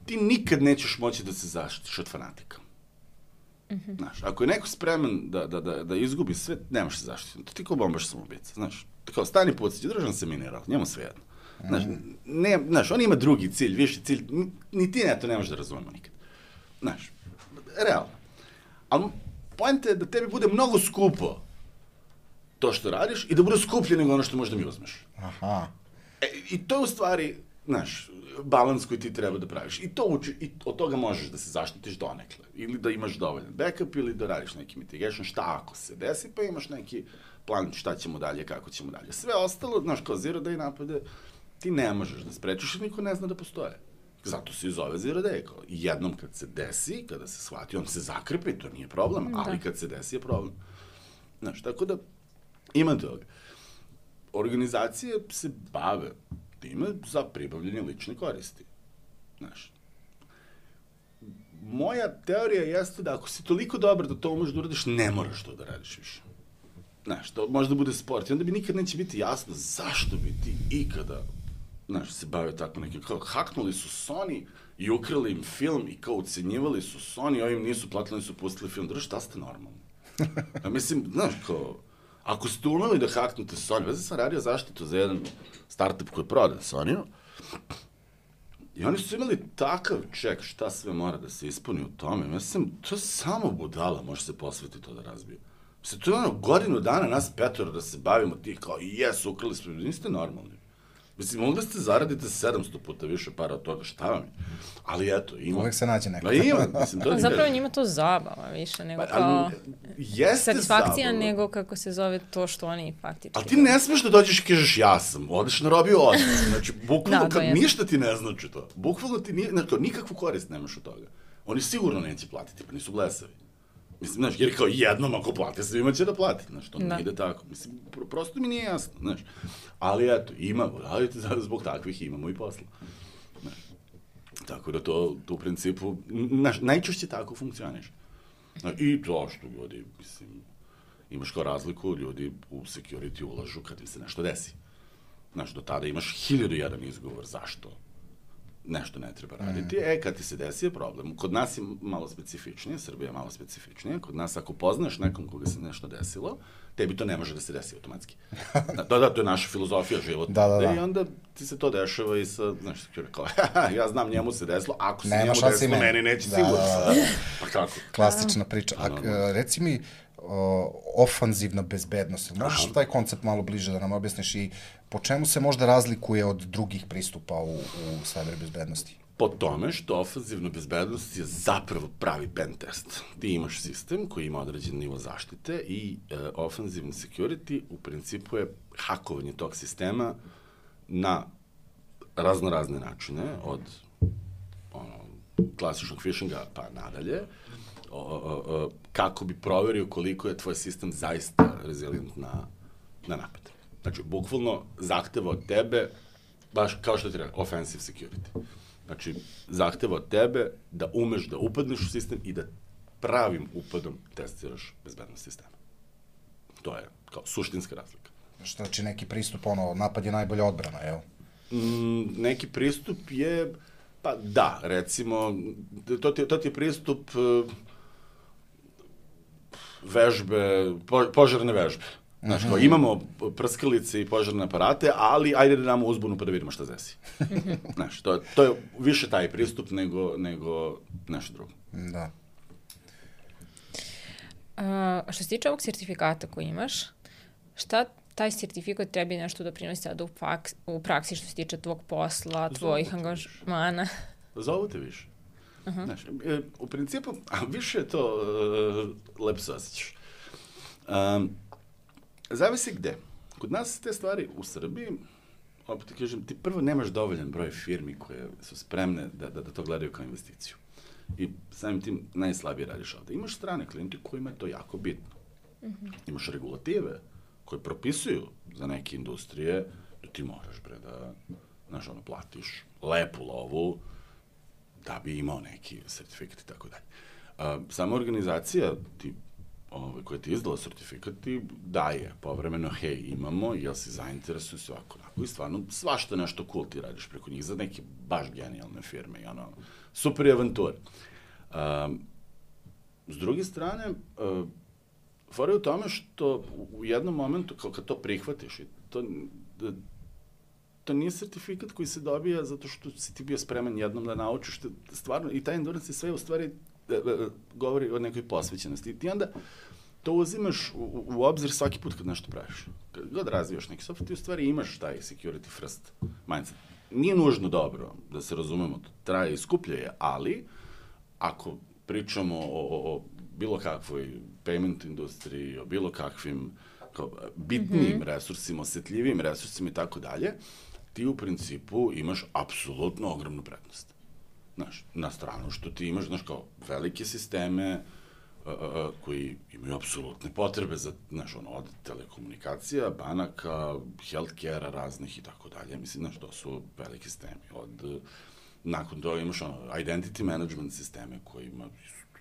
ti nikad nećeš moći da se zaštitiš od fanatika. Mm-hmm. Znaš, ako je neko spreman da, da, da, da izgubi sve, nemaš se zaštiti. To ti kao bombaš samoubica, znaš. Kao stani pucić, držan se mineral, njemu sve jedno. Znaš, ne, znaš, on ima drugi cilj, viši cilj, ni ti ne, to ne možeš da razumemo nikad. Znaš, realno. Ali poenta je da tebi bude mnogo skupo to što radiš i da bude skuplje nego ono što možda mi uzmeš. Aha. E, i to je u stvari, znaš, balans koji ti treba da praviš. I to uči, i od toga možeš da se zaštitiš donekle. Ili da imaš dovoljan backup, ili da radiš neki mitigation, šta ako se desi, pa imaš neki plan šta ćemo dalje, kako ćemo dalje. Sve ostalo, znaš, kao zero day napade, ti ne možeš da sprečiš i niko ne zna da postoje. Zato se i zove zero day. Jednom kad se desi, kada se shvati, on se zakrpi, to nije problem, da. Ali kad se desi je problem. Znaš, tako da ima toga. Organizacije se bave time za pribavljanje lične koristi. Znaš, moja teorija jeste da ako si toliko dobar da to umeš da uradiš, ne moraš to da radiš više. Znaš, to možda bude sport i onda bi nikad neće biti jasno zašto bi ti ikada, znaš, se bavio tako nekim, kao haknuli su Sony i ukrali im film i kao ucenjivali su Sony, ovim nisu platili, nisu pustili film. Drži, šta ste normalni? Ja mislim, znaš, kao, ako ste umeli da haknute Sony, već sam radio zaštitu za jedan startup koji je prodan Sony-u, i oni su imali takav ček šta sve mora da se ispuni u tome. Mislim, to je samo budala, može se posveti to da razbije. Mislim, to je ono godinu dana nas petoro da se bavimo tih kao, jes, ukrali smo, niste normalni. Mislim, mogli ste zaradite sedamsto puta više para od toga, šta vam je? Ali eto, ima. Uvijek se nađe neko. Pa ima, mislim, to je... Zapravo njima to zabava više nego pa, kao zabava. satisfakcija nego kako se zove to što oni faktički... Ali ti ne smeš da dođeš i kažeš ja sam, odeš na robiju odmah. Znači, bukvalno, da, kad jest. ništa ti ne znači to. Bukvalno ti nije, znači, nikakvu korist nemaš od toga. Oni sigurno neće platiti, pa nisu blesavi. Mislim, znaš, jer kao jednom ako plati, svima će da plati, znaš, to ne ide tako. Mislim, pro, prosto mi nije jasno, znaš. Ali eto, imamo, ali zbog takvih imamo i posla. Znaš. Tako da to, to u principu, znaš, najčešće tako funkcioniš. Znaš, i to što ljudi, mislim, imaš kao razliku, ljudi u security ulažu kad im se nešto desi. Znaš, do tada imaš hiljadu jedan izgovor zašto nešto ne treba raditi. Mm. E, kad ti se desi je problem. Kod nas je malo specifičnije, Srbija je malo specifičnija. Kod nas, ako poznaš nekom koga se nešto desilo, tebi to ne može da se desi automatski. Da, da, to je naša filozofija života. Da, da, da. I onda ti se to dešava i sa, znaš, kao, ja znam njemu se desilo, ako se Nema njemu desilo, meni, meni neće da, sigurno. Da, da, da. Pa kako? Klasična priča. A, a reci mi, o, ofanzivna bezbednost. Možeš Aha. taj koncept malo bliže da nam objasniš i po čemu se možda razlikuje od drugih pristupa u, u cyber bezbednosti? Po tome što ofanzivna bezbednost je zapravo pravi pen test. Ti imaš sistem koji ima određen nivo zaštite i e, ofanzivni security u principu je hakovanje tog sistema na razno razne načine, od ono, klasičnog phishinga pa nadalje, o, o, o, kako bi proverio koliko je tvoj sistem zaista rezilient na, na napad. Znači, bukvalno zahteva od tebe, baš kao što ti rekao, offensive security. Znači, zahteva od tebe da umeš da upadneš u sistem i da pravim upadom testiraš bezbednost sistema. To je kao suštinska razlika. Što znači neki pristup, ono, napad je najbolja odbrana, jel? Mm, neki pristup je, pa da, recimo, to ti, to ti je pristup uh, vežbe, po, požarne vežbe. Znaš, kao, imamo prskalice i požarne aparate, ali ajde da damo uzbunu pa da vidimo šta desi. Znaš, to, to je više taj pristup nego, nego nešto drugo. Da. A, što se tiče ovog sertifikata koji imaš, šta taj sertifikat tebi nešto doprinosi sada u, faks, u praksi što se tiče tvog posla, tvojih angažmana? Zovu te više. Uh-huh. Znaš, e, u principu, a više je to uh, lepo se osjećaš. Um, Zavisi gde. Kod nas te stvari u Srbiji, opet ti kažem, ti prvo nemaš dovoljan broj firmi koje su spremne da, da, da to gledaju kao investiciju. I samim tim najslabije radiš ovde. Imaš strane klijente kojima je to jako bitno. Mm-hmm. Imaš regulative koje propisuju za neke industrije da ti moraš, bre, da, znaš, ono, platiš lepu lovu da bi imao neki sertifikat i tako dalje. Sama organizacija ti Ove, koja ti je izdala sertifikat ti daje povremeno, hej, imamo, jel si zainteresuju se ovako, onako, i stvarno svašta nešto cool ti radiš preko njih za neke baš genijalne firme i ono, super avanture. Um, s druge strane, uh, fora je u tome što u jednom momentu, kao kad to prihvatiš, to, da, to nije sertifikat koji se dobija zato što si ti bio spreman jednom da naučiš, stvarno, i taj endurance je sve u stvari govori o nekoj posvećenosti. I ti onda to uzimaš u, u obzir svaki put kad nešto praviš. Kad god razvijaš neki software, ti u stvari imaš taj security first mindset. Nije nužno dobro, da se razumemo, traje i skuplje je, ali ako pričamo o, o, o bilo kakvoj payment industriji, o bilo kakvim kao, bitnim mm-hmm. resursima, osjetljivim resursima i tako dalje, ti u principu imaš apsolutno ogromnu prednost. znaš, na stranu što ti imaš, znaš, kao velike sisteme uh, uh, koji imaju apsolutne potrebe za, znaš, ono, od telekomunikacija, banaka, healthcare-a raznih i tako dalje. Mislim, znaš, to su veliki sistemi. Od, uh, nakon toga imaš, ono, identity management sisteme kojima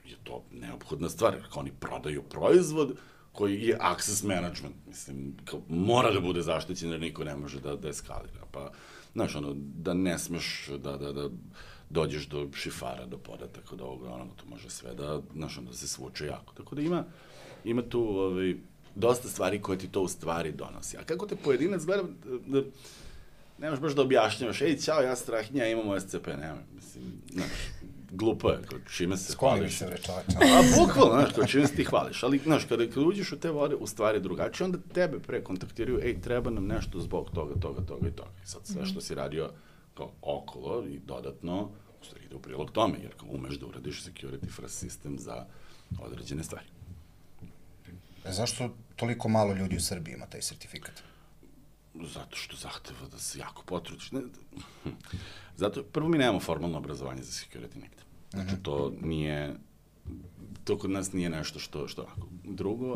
je to neophodna stvar, kao oni prodaju proizvod koji je access management, mislim, kao, mora da bude zaštićen jer niko ne može da, da eskalira. Pa, znaš, ono, da ne smeš da, da, da dođeš do šifara, do podataka, do ovoga, ono, to može sve da, znaš, ono, da se svuče jako. Tako da ima, ima tu ovaj, dosta stvari koje ti to u stvari donosi. A kako te pojedinac gleda, da, nemaš baš da objašnjavaš, ej, ćao, ja Strahinja, imamo S C P, nema, mislim, znaš, glupo je, kao čime se Skloni hvališ. se, rečoveča. A, bukvalno, znaš, kao čime se ti hvališ, ali, znaš, kada, kada uđeš u te vode, u stvari drugačije, onda tebe pre kontaktiraju, ej, treba nam nešto zbog toga, toga, toga i toga. I sad sve što si radio kao okolo i dodatno, u stvari ide u prilog tome, jer kao umeš da uradiš security first system za određene stvari. E, zašto toliko malo ljudi u Srbiji ima taj sertifikat? Zato što zahteva da se jako potrudiš. Ne, zato, prvo mi nemamo formalno obrazovanje za security negde. Znači, to nije, to kod nas nije nešto što, što ovako. Drugo,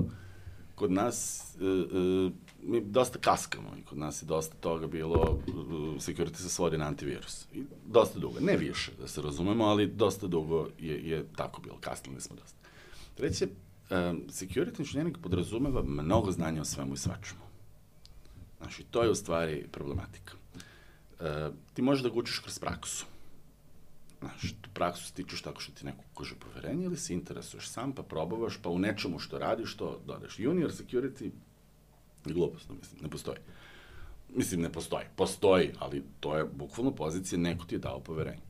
kod nas, e, e, mi dosta kaskamo i kod nas je dosta toga bilo, e, security se svodi na antivirus. I dosta dugo, ne više, da se razumemo, ali dosta dugo je, je tako bilo, kasnili smo dosta. Treće, e, security inženjering podrazumeva mnogo znanja o svemu i svačemu. Znači, to je u stvari problematika. E, ti možeš da ga učiš kroz praksu. Znaš, tu praksu stičeš tako što ti neko ukaže poverenje ili se interesuješ sam, pa probavaš, pa u nečemu što radiš, to dodaš. Junior security je glupost, mislim, ne postoji. Mislim, ne postoji. Postoji, ali to je bukvalno pozicija, neko ti je dao poverenje.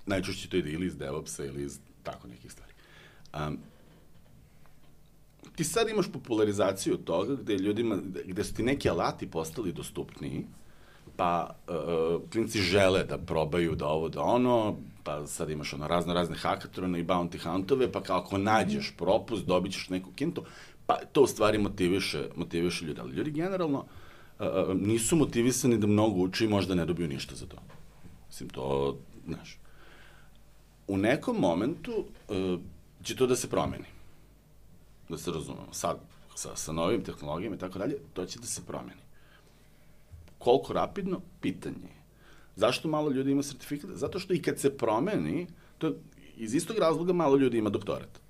Najčešće to ide ili iz DevOpsa ili iz tako nekih stvari. Um, ti sad imaš popularizaciju toga gde ljudima, gde su ti neki alati postali dostupniji, pa uh, klinci žele da probaju da ovo, da ono, pa sad imaš ono razno razne hackathone i bounty huntove, pa kao ako nađeš propust, dobit ćeš neku kintu, pa to u stvari motiviše, motiviše ljudi. Ali ljudi generalno uh, nisu motivisani da mnogo uče i možda ne dobiju ništa za to. Mislim, to, znaš, u nekom momentu uh, će to da se promeni. Da se razumemo. Sad, sa, sa novim tehnologijama i tako dalje, to će da se promeni. Koliko rapidno? Pitanje je. Zašto malo ljudi ima sertifikat? Zato što i kad se promeni, to iz istog razloga malo ljudi ima doktorat.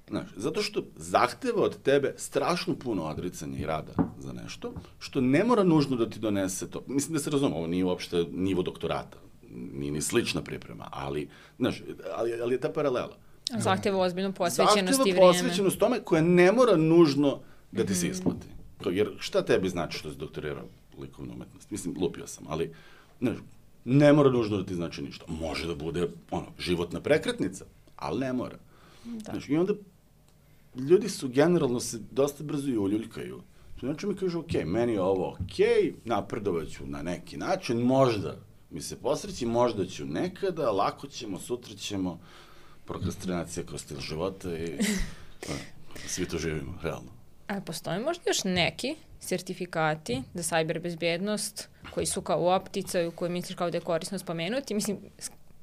Znaš, zato što zahteva od tebe strašno puno odricanja i rada za nešto, što ne mora nužno da ti donese to. Mislim da se razumemo, ovo nije uopšte nivo doktorata, nije ni slična priprema, ali, znaš, ali, ali je ta paralela. Zahteva ozbiljnu posvećenost i vrijeme. Zahteva posvećenost tome koja ne mora nužno da ti se isplati. Jer šta tebi znači što si doktorirao likovnu umetnost? Mislim, lupio sam, ali ne, ne mora nužno da ti znači ništa. Može da bude ono, životna prekretnica, ali ne mora. Da. Znaš, i onda ljudi su generalno se dosta brzo i uljuljkaju. Znači mi kažu, ok, meni je ovo ok, napredovaću na neki način, možda mi se posreći, možda ću nekada, lako ćemo, sutra ćemo, prokrastinacija kroz stil života i a, svi to živimo, realno. A postoji možda još neki sertifikati za sajber bezbednost koji su kao u opticaju, koji misliš kao da je korisno spomenuti? Mislim,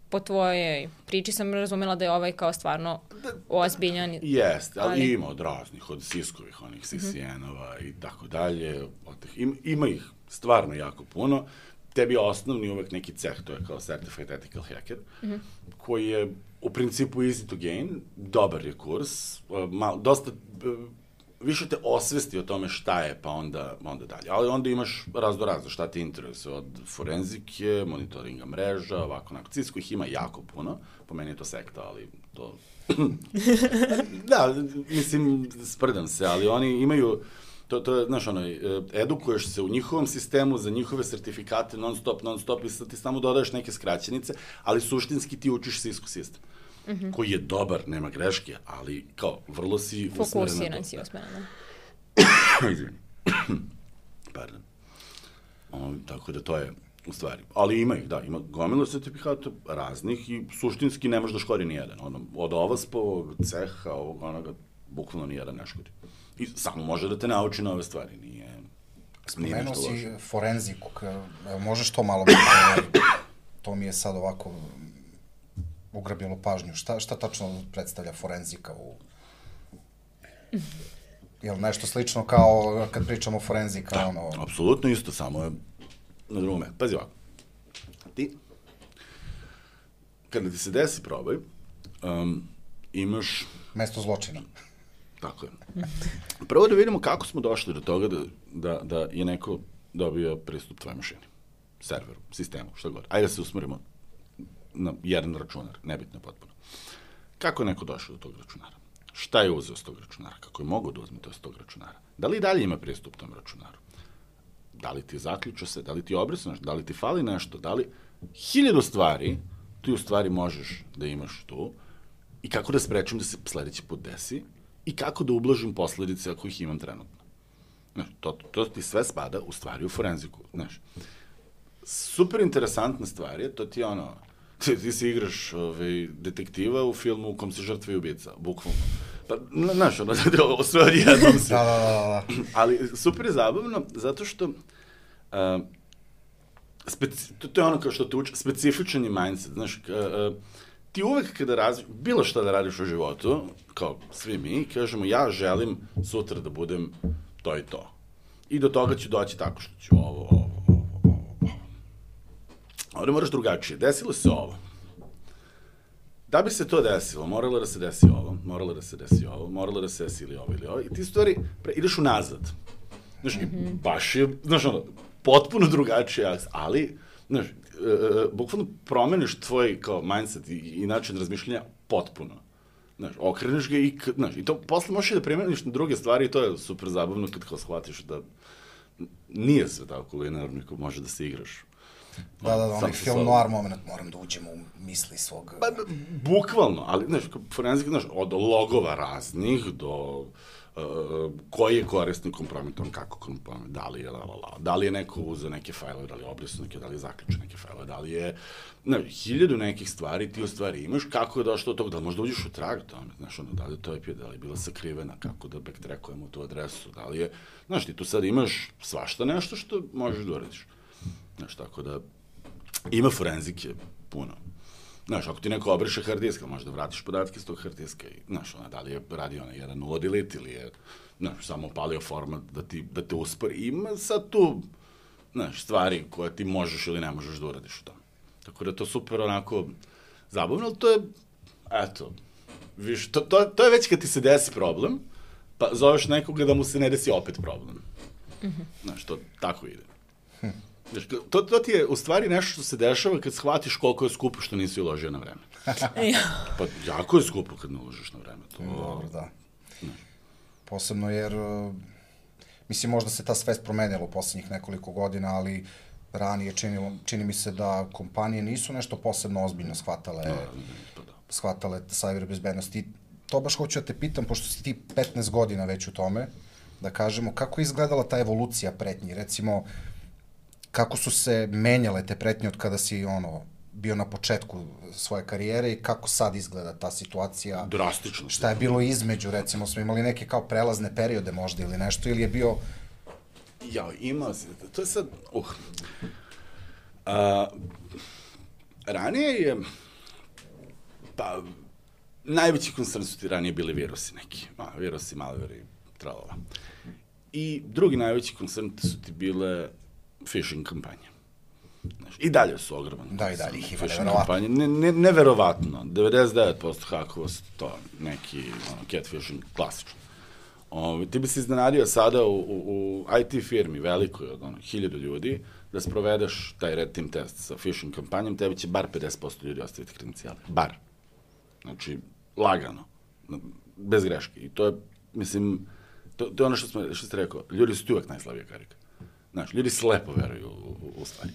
po tvojoj priči sam razumela da je ovaj kao stvarno ozbiljan. Jeste, ali, ali ima od raznih, od Cisco-ovih, onih C C N-ova i tako dalje. Ima, ima ih stvarno jako puno. Tebi je osnovni uvek neki ceh, to je kao Certified Ethical Hacker, mm-hmm. koji je u principu easy to gain, dobar je kurs, mal, dosta, više te osvesti o tome šta je, pa onda, onda dalje. Ali onda imaš razdo razdo šta ti interesuje, od forenzike, monitoringa mreža, ovako, onako. Cisco ih ima jako puno, po meni je to sekta, ali to... da, mislim, sprdam se, ali oni imaju... To, to je, znaš, ono, edukuješ se u njihovom sistemu za njihove sertifikate non stop, non stop i sad ti samo dodaješ neke skraćenice, ali suštinski ti učiš Cisco sistem, mm-hmm. koji je dobar, nema greške, ali kao, vrlo si usmeren na to. Fokusiran si usmeren. Izvini. Pardon. O, tako da to je u stvari. Ali ima ih, da, ima gomila sertifikata raznih i suštinski ne može da škori nijedan. Ono, od ovaspovog ceha, ovog, onoga, bukvalno nijedan ne škori. I samo može da te nauči na ove stvari, nije, nije nešto loše. Spomenuo si forenziku, možeš to malo, to mi je sad ovako ugrabilo pažnju? Šta, šta tačno predstavlja forenzika u... Je li nešto slično kao kad pričamo o forenzika? Da, ono... apsolutno isto, samo je na drugom mestu. Pazi ovako, ti, kada ti se desi probaj, um, imaš... Mesto zločina. Tako je. Prvo da vidimo kako smo došli do toga da, da, da je neko dobio pristup tvojoj mašini, serveru, sistemu, šta god. Ajde da se usmerimo na jedan računar, nebitno potpuno. Kako je neko došao do tog računara? Šta je uzeo s tog računara? Kako je mogao da uzme to s tog računara? Da li i dalje ima pristup tom računaru? Da li ti zaključa se? Da li ti obrisa nešto? Da li ti fali nešto? Da li... Hiljadu stvari ti u stvari možeš da imaš tu i kako da sprečim da se sledeći put desi i kako da ublažim posledice ako ih imam trenutno. Znaš, to, to ti sve spada u stvari u forenziku. Znaš, super interesantna stvar je, to ti je ono, ti, ti si igraš ovaj, detektiva u filmu u kom si žrtva i ubica, bukvalno. Pa, znaš, ono, sve odjednom se. Da, da, da, da. Ali super je zabavno, zato što uh, speci, to, to je ono kao što te uči, specifičan je mindset, znaš, uh, ti uvek kada razviš, bilo šta da radiš u životu, kao svi mi, kažemo ja želim sutra da budem to i to. I do toga ću doći tako što ću ovo, ovo, ovo, ovo, ovo. Ovdje moraš drugačije. Desilo se ovo. Da bi se to desilo, moralo da se desi ovo, moralo da se desi ovo, moralo da se desi ili ovo ili ovo. I ti stvari, pre, ideš unazad. Znaš, mm-hmm. baš je, znaš ono, potpuno drugačije, ali, znaš, Uh, bukvalno promeniš tvoj kao mindset i, i način razmišljanja potpuno. Znaš, okreneš ga i, znaš, i to posle možeš i da primeniš na druge stvari i to je super zabavno kad kao shvatiš da nije sve tako linearno ko može da se igraš. Da, da, da, onaj film noir moment, moram da uđem u misli svog... Pa, bukvalno, ali, znaš, forenzik, znaš, od logova raznih do... Uh, koji je korisnik kompromitovan, kako kompromitovan, da li je la, la, la, da li je neko uzeo neke fajlove, da li je obrisao neke, da li je zaključio neke fajlove, da li je, ne, hiljadu nekih stvari ti u stvari imaš, kako je došlo do toga, da li možda uđeš u trag tome, znaš, ono, da li je to I P, da li je bila sakrivena, kako da backtrackujemo tu adresu, da li je, znaš, ti tu sad imaš svašta nešto što možeš da uradiš, znaš, tako da, ima forenzike puno. Znaš, ako ti neko obriše hard disk, možda vratiš podatke iz tog hard diska i, znaš, ona, da li je radio onaj jedan nula delete ili je, znaš, samo palio format da, ti, da te uspori. Ima sad tu, znaš, stvari koje ti možeš ili ne možeš da uradiš u tome. Tako da je to super onako zabavno, ali to je, eto, viš, to, to, to je već kad ti se desi problem, pa zoveš nekoga da mu se ne desi opet problem. Mm-hmm. Znaš, to tako ide. Hm. Znaš, to, to ti je u stvari nešto što se dešava kad shvatiš koliko je skupo što nisi uložio na vreme. Pa jako je skupo kad ne uložiš na vreme. To... Dobro, da. Ne. Posebno jer, mislim, možda se ta svest promenila u poslednjih nekoliko godina, ali ranije činilo, čini mi se da kompanije nisu nešto posebno ozbiljno shvatale, no, pa da. shvatale cyber bezbednosti. To baš hoću da te pitam, pošto si ti petnaest godina već u tome, da kažemo, kako je izgledala ta evolucija pretnji? Recimo, kako su se menjale te pretnje od kada si, ono, bio na početku svoje karijere i kako sad izgleda ta situacija? Drastično. Šta je bilo između, recimo, smo imali neke kao prelazne periode možda ili nešto, ili je bio... Ja, ima se, to je sad, uh, a, ranije je, pa, najveći koncern su ti ranije bili virusi neki, a, virusi, malveri, tralala. I drugi najveći koncern su ti bile phishing kampanje. Znaš, i dalje su ogroman. Da, i dalje ih ima, neverovatno. Ne, ne, neverovatno. devedeset devet posto hakova su to neki ono, catfishing, klasično. O, ti bi se iznenadio sada u, u, u I T firmi, velikoj od ono, hiljadu ljudi, da sprovedeš taj red team test sa phishing kampanjom, tebi će bar pedeset posto ljudi ostaviti kredencijale. Bar. Znači, lagano. Bez greške. I to je, mislim, to, to je ono što, smo, što ste rekao, ljudi su ti uvek najslabija karika. Znaš, ljudi slepo veruju u, u, u stvari.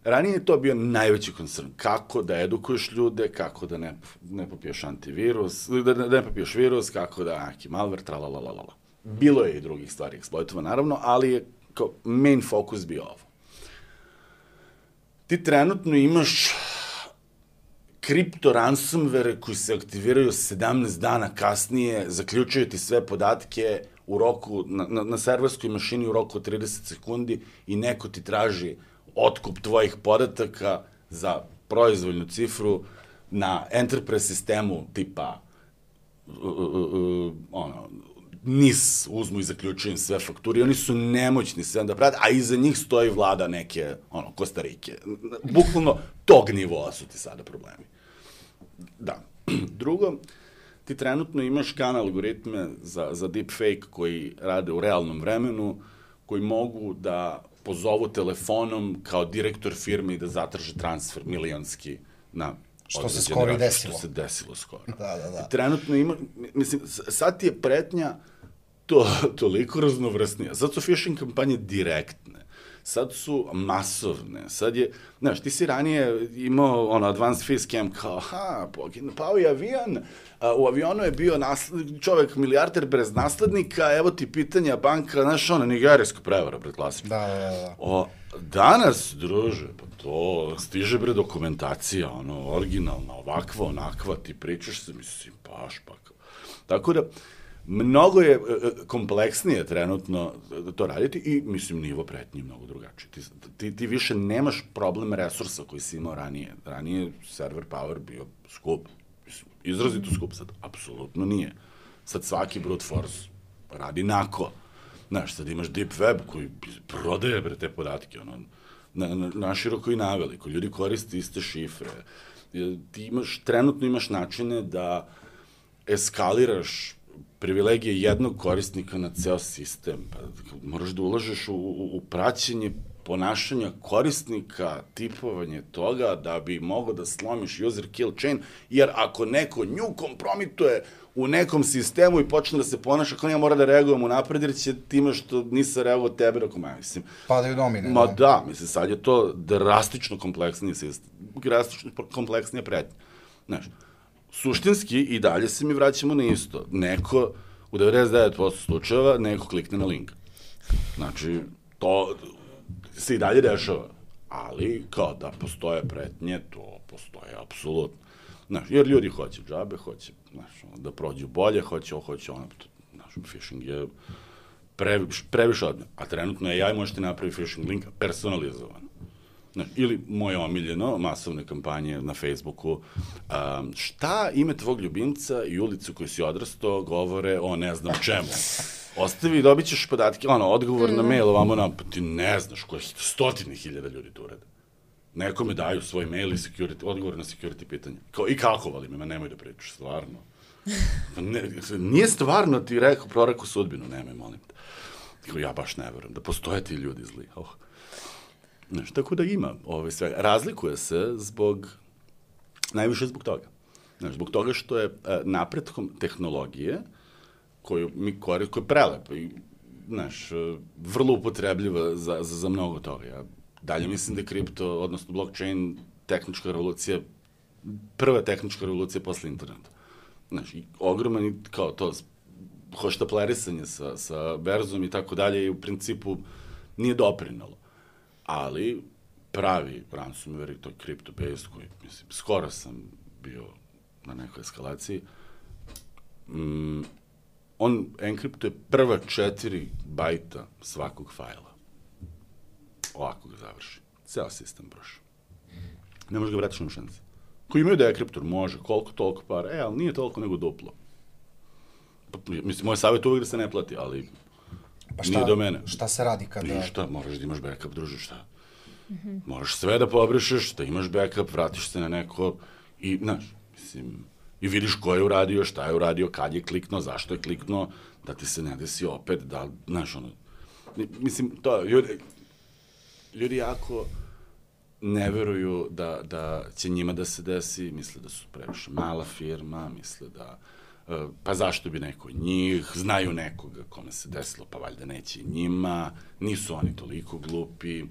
Ranije je to bio najveći koncern. Kako da edukuješ ljude, kako da ne, ne popiješ antivirus, da, da ne popiješ virus, kako da neki malware, tralalalala. Bilo je i drugih stvari eksploitova, naravno, ali je kao main fokus bio ovo. Ti trenutno imaš kripto ransomware koji se aktiviraju sedamnaest dana kasnije, zaključuju ti sve podatke u roku, na, na, na serverskoj mašini u roku od trideset sekundi i neko ti traži otkup tvojih podataka za proizvoljnu cifru na enterprise sistemu tipa uh, uh, uh, ono, N I S uzmu i zaključuju im sve fakturi, oni su nemoćni sve da prate, a iza njih stoji vlada neke, ono, Kostarike. Bukvalno tog nivoa su ti sada problemi. Da. Drugo, ti trenutno imaš kanal algoritme za, za deepfake koji rade u realnom vremenu, koji mogu da pozovu telefonom kao direktor firme i da zatraže transfer milionski na što se skoro i desilo. Što se desilo skoro. Da, da, da. I trenutno ima, mislim, sad ti je pretnja to, toliko raznovrsnija. Sad su phishing kampanje direktne. Sad su masovne. Sad je, znaš, ti si ranije imao ono, advanced fish scam kao, ha, pao je avion, a, u avionu je bio nasled, čovek milijarder bez naslednika, evo ti pitanja banka, znaš, ono, nigerijska prevara, bre, klasično. Da, da, da. O, danas, druže, pa to stiže, bre, dokumentacija, ono, originalna, ovakva, onakva, ti pričaš se, mislim, baš, pa. Tako da, mnogo je kompleksnije trenutno to raditi i, mislim, nivo pretnji mnogo drugačiji. Ti, ti, ti više nemaš problem resursa koji si imao ranije. Ranije server power bio skup. Izrazito skup, sad apsolutno nije. Sad svaki brute force radi nako. Znaš, sad imaš deep web koji prodaje bre te podatke, ono, na, na, naširoko i naveliko. Ljudi koriste iste šifre. Ti imaš, trenutno imaš načine da eskaliraš privilegije jednog korisnika na ceo sistem. Pa, moraš da ulažeš u, u, u praćenje ponašanja korisnika, tipovanje toga da bi mogo da slomiš user kill chain, jer ako neko nju kompromituje u nekom sistemu i počne da se ponaša, kao ja mora da reagujem u napred, jer će time što nisam reagovao tebe, rako ma, mislim. Padaju domine. Ma da, mislim, sad je to drastično kompleksniji sistem, drastično kompleksnija pretnja. Znaš, suštinski i dalje se mi vraćamo na isto. Neko, u devedeset devet posto slučajeva, neko klikne na link. Znači, to se i dalje dešava. Ali, kao da postoje pretnje, to postoje apsolutno. Znaš, jer ljudi hoće džabe, hoće, znaš, da prođu bolje, hoće ovo, hoće ono. Znaš, phishing je previš, previše odmah. A trenutno je ja i možete napraviti phishing link personalizovan. Znaš, ili moje omiljeno, masovne kampanje na Facebooku, um, šta ime tvog ljubimca i ulicu koju si odrastao govore o ne znam čemu. Ostavi i dobit ćeš podatke, ono, odgovor na mail, ovamo nam, pa ti ne znaš koje stotine hiljada ljudi to urede. Nekome daju svoj mail i security, odgovor na security pitanje. Kao, i kako vali me, ma nemoj da pričaš, stvarno. Ne, nije stvarno ti rekao, prorekao sudbinu, nemoj, molim te. Kao, ja baš ne verujem da postoje ti ljudi zli. Oh. Znaš, tako da ima ovaj sve. Razlikuje se zbog, najviše zbog toga. Znaš, zbog toga što je e, napretkom tehnologije, koju mi koristimo, koja je prelepa i, znaš, vrlo upotrebljiva za, za, za mnogo toga. Ja dalje mislim da je kripto, odnosno blockchain, tehnička revolucija, prva tehnička revolucija posle interneta. Znaš, i ogroman i kao to, hoštaplerisanje sa, sa berzom i tako dalje i u principu nije doprinalo. Ali pravi ransomware i to crypto-based koji, mislim, skoro sam bio na nekoj eskalaciji, mm, on enkriptuje prva četiri bajta svakog fajla. Ovako ga završi. Ceo sistem broši. Ne može ga vratiš na šanse. Ko imaju dekriptor, može, koliko, toliko para, e, ali nije toliko nego duplo. Pa, mislim, moj savjet uvijek da se ne plati, ali pa šta, nije do mene. Šta se radi kada... Ništa, moraš da imaš backup, druže, šta? Mm-hmm. Moraš sve da pobrišeš, da imaš backup, vratiš se na neko i, znaš, mislim, i vidiš ko je uradio, šta je uradio, kad je kliknuo, zašto je kliknuo, da ti se ne desi opet, da, znaš, ono, mislim, to, ljudi, ljudi jako ne veruju da, da će njima da se desi, misle da su previše mala firma, misle da, pa zašto bi neko njih, znaju nekoga kome se desilo, pa valjda neće njima, nisu oni toliko glupi,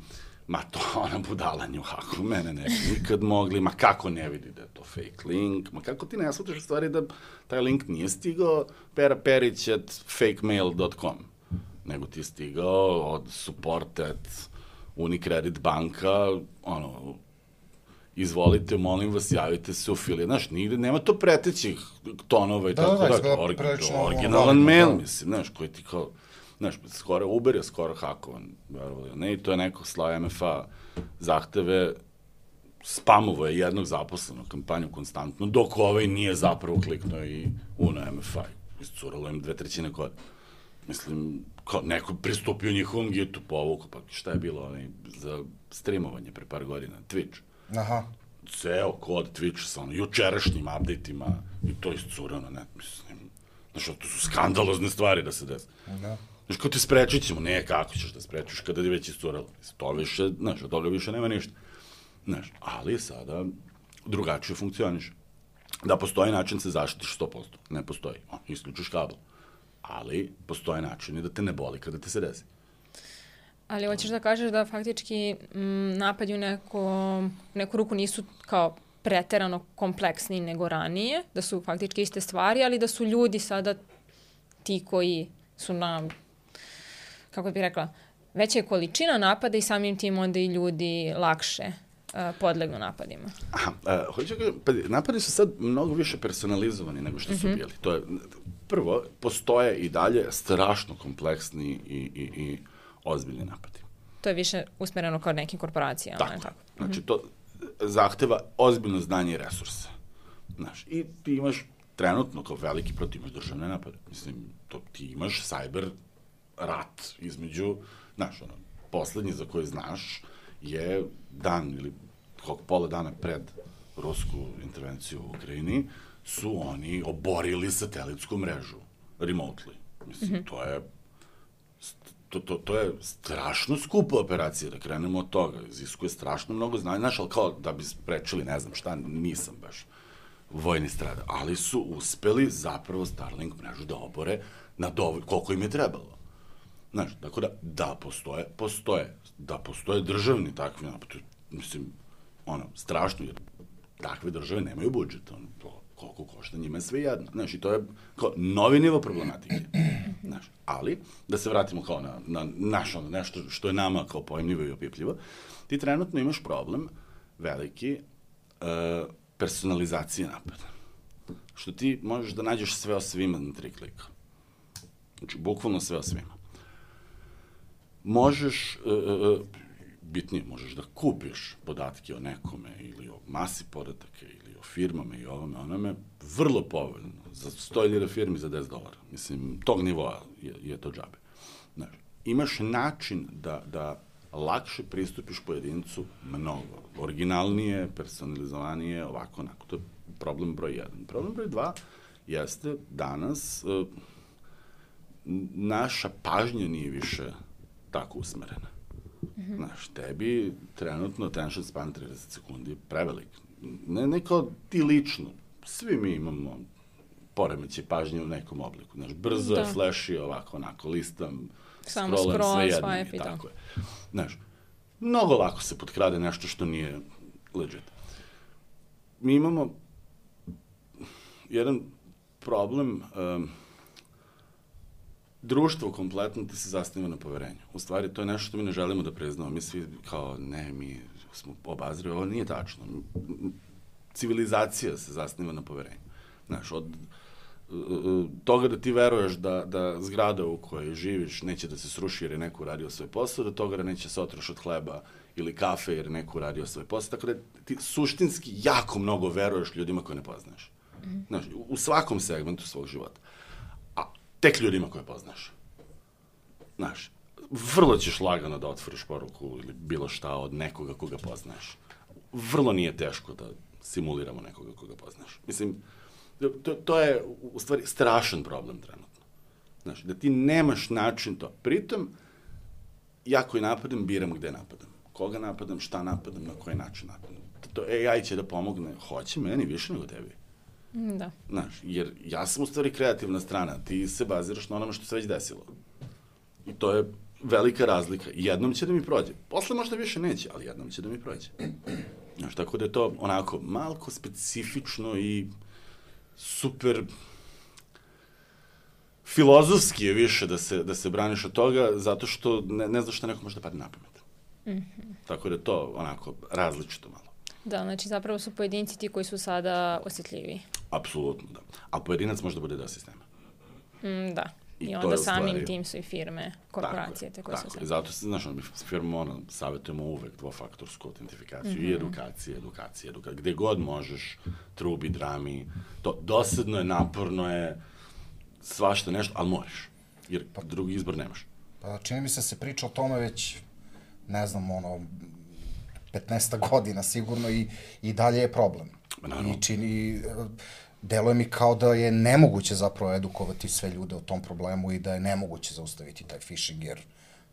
ma to ona budala nju, ako mene ne bi nikad mogli, ma kako ne vidi da je to fake link, ma kako ti ne shvataš u stvari da taj link nije stigao pera perić at fakemail dot com, nego ti je stigao od support at Unicredit banka, ono, izvolite, molim vas, javite se u fili. Znaš, nigde, nema to pretećih tonova i da, tako da, da, da orgi, originalan mail, da. Mislim, znaš, koji ti kao, znaš, skoro Uber je skoro hakovan, verovali, ne, i to je neko slao M F A zahteve spamovo je jednog zaposlenog kampanju konstantno, dok ovaj nije zapravo kliknuo i uno M F I. Iscuralo im dve trećine kode. Mislim, kao neko pristupio njihovom gitu, povuku, pa šta je bilo onaj, za streamovanje pre par godina, Twitch. Aha. Ceo kod Twitch sa ono, jučerašnjim update-ima i to iscurano, ne, mislim, znaš, to su skandalozne stvari da se desi. Da. Znaš, kao ti sprečit ćemo, ne, kako ćeš da sprečiš kada je već iscuralo. To više, znaš, od toga više nema ništa. Znaš, ali sada drugačije funkcioniše. Da postoji način se zaštitiš sto posto. Ne postoji. O, isključiš kabel. Ali postoje načini da te ne boli kada te se desi. Ali hoćeš da kažeš da faktički m, napadi u neko, neku ruku nisu kao preterano kompleksni nego ranije, da su faktički iste stvari, ali da su ljudi sada ti koji su na, kako bih rekla, veća je količina napada i samim tim onda i ljudi lakše uh, podlegnu napadima. Aha, uh, hoću da kažem, pa napadi su sad mnogo više personalizovani nego što su mm-hmm. bili. To je, prvo, postoje i dalje strašno kompleksni i, i, i ozbiljni napadi. To je više usmereno kao nekim korporacijama. Tako, ne tako? Znači, to zahteva ozbiljno znanje i resurse. Znaš, i ti imaš trenutno kao veliki protiv imaš državne napade. Mislim, to ti imaš cyber rat između, znaš, ono, poslednji za koji znaš je dan ili kog pola dana pred rusku intervenciju u Ukrajini su oni oborili satelitsku mrežu remotely. Mislim, mm-hmm. to je To, to, to je strašno skupa operacija, da krenemo od toga. Iziskuje strašno mnogo znanja. Znaš, ali kao da bi sprečili, ne znam šta, nisam baš vojni strada. Ali su uspeli zapravo Starlink mrežu da obore na dovolj, koliko im je trebalo. Znaš, tako da, da postoje, postoje. Da postoje državni takvi napad. Mislim, ono, strašno, jer takve države nemaju budžet. Ono, to, koliko košta, njima je sve jedno. Znaš, i to je kao novi nivo problematike. Znaš, ali, da se vratimo kao na, na naš, ono, nešto što je nama kao pojemljivo i opipljivo, ti trenutno imaš problem veliki uh, personalizacije napada. Što ti možeš da nađeš sve o svima na tri klika. Znači, bukvalno sve o svima. Možeš, uh, uh, bitnije, možeš da kupiš podatke o nekome ili o masi podataka ili o firmama i ovome, onome, vrlo povoljno, za sto hiljada firmi za deset dolara. Mislim, tog nivoa je, je to džabe. Znači, imaš način da, da lakše pristupiš pojedincu mnogo. Originalnije, personalizovanije, ovako, onako. To je problem broj jedan. Problem broj dva jeste danas uh, naša pažnja nije više tako usmerena. Mm-hmm. Znaš, tebi trenutno attention span trideset sekundi je prevelik. Ne, ne kao ti lično. Svi mi imamo poremeće pažnje u nekom obliku. Znaš, brzo da. je, flashy, ovako, onako, listam, samo scrollam, scroll, sve jedno. swipe i tako je. Znaš, mnogo lako se potkrade nešto što nije legit. Mi imamo jedan problem, um, društvo kompletno ti se zasniva na poverenju. U stvari, to je nešto što mi ne želimo da priznamo. Mi svi kao, ne, mi smo obazreli, ovo nije tačno. Civilizacija se zasniva na poverenju. Znaš, od uh, toga da ti veruješ da, da zgrada u kojoj živiš neće da se sruši jer je neko uradio svoj posao, do toga da neće se otroš od hleba ili kafe jer je neko uradio svoj posao. Tako da ti suštinski jako mnogo veruješ ljudima koje ne poznaješ. Mm. Znaš, u svakom segmentu svog života. Tek ljudima koje poznaš. Znaš, vrlo ćeš lagano da otvoriš poruku ili bilo šta od nekoga koga poznaš. Vrlo nije teško da simuliramo nekoga koga poznaš. Mislim, to, to je u stvari strašan problem trenutno. Znaš, da ti nemaš način to. Pritom, ja koji napadam, biram gde napadam. Koga napadam, šta napadam, na koji način napadam. To A I će da pomogne. Hoće meni više nego tebi. Da. Znaš, jer ja sam u stvari kreativna strana, ti se baziraš na onome što se već desilo. I to je velika razlika. Jednom će da mi prođe. Posle možda više neće, ali jednom će da mi prođe. Znaš, tako da je to onako malko specifično i super filozofski je više da se, da se braniš od toga, zato što ne, ne znaš šta neko može da padne na pamet. Mm-hmm. Tako da je to onako različito malo. Da, znači zapravo su pojedinci ti koji su sada osjetljiviji. Apsolutno, da. A pojedinac može da bude deo sistema. Mm, da, I, I onda samim stvari, tim su i firme, korporacije. Tako je, tako je. Zato se, znaš, mi firmama ono, savjetujemo uvek dvofaktorsku autentifikaciju mm-hmm. i edukacije, edukacije, edukacije. Gde god možeš, trubi, drami, to dosadno je, naporno je, svašta nešto, ali moraš, jer pa, drugi izbor nemaš. Pa čini mi se se priča o tome već, ne znam, ono, petnaest godina sigurno i, i dalje je problem. Naravno. I čini, deluje mi kao da je nemoguće zapravo edukovati sve ljude o tom problemu i da je nemoguće zaustaviti taj phishing, jer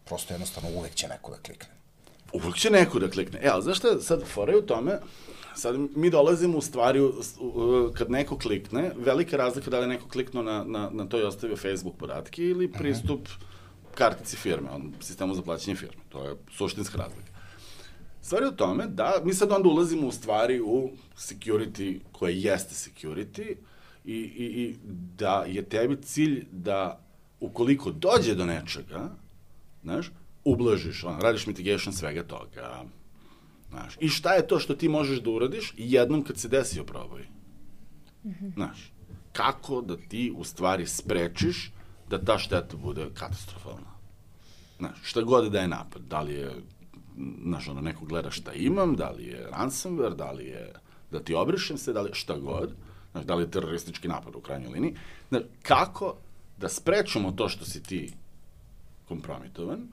prosto jednostavno uvek će neko da klikne. Uvek će neko da klikne. E, ali znaš šta, sad fora je u tome, sad mi dolazimo u stvari, kad neko klikne, velika razlika da li neko kliknuo na, na, na to i ostavio Facebook podatke ili pristup uh-huh. kartici firme, on, sistemu za plaćanje firme. To je suštinska razlika. Stvar je u tome da mi sad onda ulazimo u stvari u security koje jeste security i, i, i da je tebi cilj da ukoliko dođe do nečega, znaš, ublažiš, on, radiš mitigation svega toga, znaš. I šta je to što ti možeš da uradiš jednom kad se desi oproboj? Mm-hmm. Znaš, kako da ti u stvari sprečiš da ta šteta bude katastrofalna? Znaš, šta god da je napad, da li je znaš, ono, neko gleda šta imam, da li je ransomware, da li je da ti obrišem se, da li je šta god, znaš, da li je teroristički napad u krajnjoj liniji, znaš, kako da sprečimo to što si ti kompromitovan,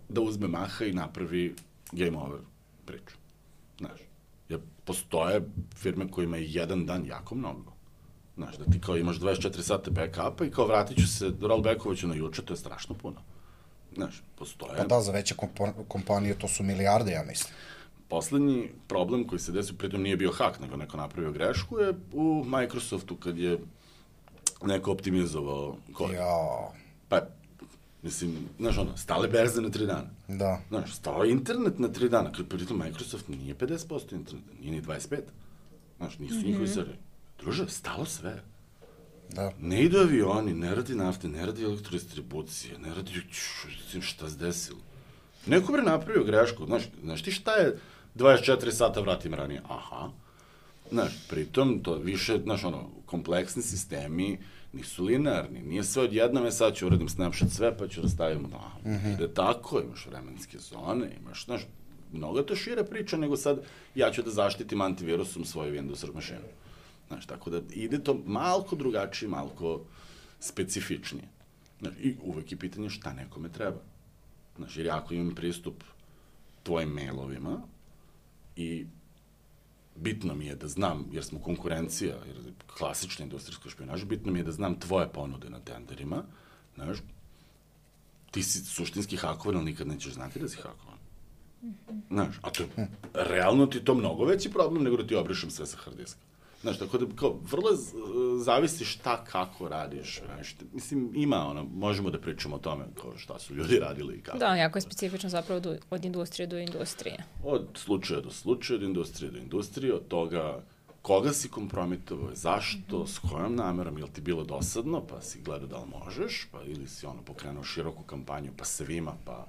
da uzme maha i napravi game over priču, znaš, jer postoje firme kojima je jedan dan jako mnogo, znaš, da ti kao imaš dvadeset četiri sata backupa i kao vratit ću se, rollbackovaću na juče, to je strašno puno. Znaš, postoje... Pa da, za veće kompanije to su milijarde, ja mislim. Poslednji problem koji se desio, pritom nije bio hak, nego neko napravio grešku, je u Microsoftu kad je neko optimizovao kod. Jao. Pa, mislim, znaš ono, stale berze na tri dana. Da. Znaš, stao internet na tri dana, kad pritom Microsoft nije pedeset posto interneta, nije ni dvadeset pet. Znaš, nisu mm-hmm. njihovi serveri. Druže, stalo sve. Da. Ne idu avioni, ne radi nafte, ne radi elektrodistribucije, ne radi šta se desilo. Neko bre napravio grešku, znaš, znaš ti šta je dvadeset četiri sata vratim ranije? Aha. Znaš, pritom to više, znaš, ono, kompleksni sistemi nisu linearni, nije sve odjednom, je sad ću uradim snapshot sve, pa ću rastavimo, da, mm-hmm. ide tako, imaš vremenske zone, imaš, znaš, mnogo to šire priča nego sad ja ću da zaštitim antivirusom svoju Windows mašinu. Znaš, tako da ide to malko drugačije, malko specifičnije. Znaš, i uvek je pitanje šta nekome treba. Znaš, jer ako imam pristup tvojim mailovima i bitno mi je da znam, jer smo konkurencija, jer je klasična industrijska špionaža, bitno mi je da znam tvoje ponude na tenderima, znaš, ti si suštinski hakovan, ali nikad nećeš znati da si hakovan. Znaš, a to je, realno ti je to mnogo veći problem nego da ti obrišem sve sa hard diska. Znaš, tako da, kao, vrlo zavisi šta, kako radiš, znaš, mislim, ima, ono, možemo da pričamo o tome, kao, šta su ljudi radili i kako. Da, jako je specifično zapravo do, od industrije do industrije. Od slučaja do slučaja, od industrije do industrije, od toga koga si kompromitovao, zašto, mm-hmm. s kojom namerom, je li ti bilo dosadno, pa si gledao da li možeš, pa ili si, ono, pokrenuo široku kampanju, pa svima, pa...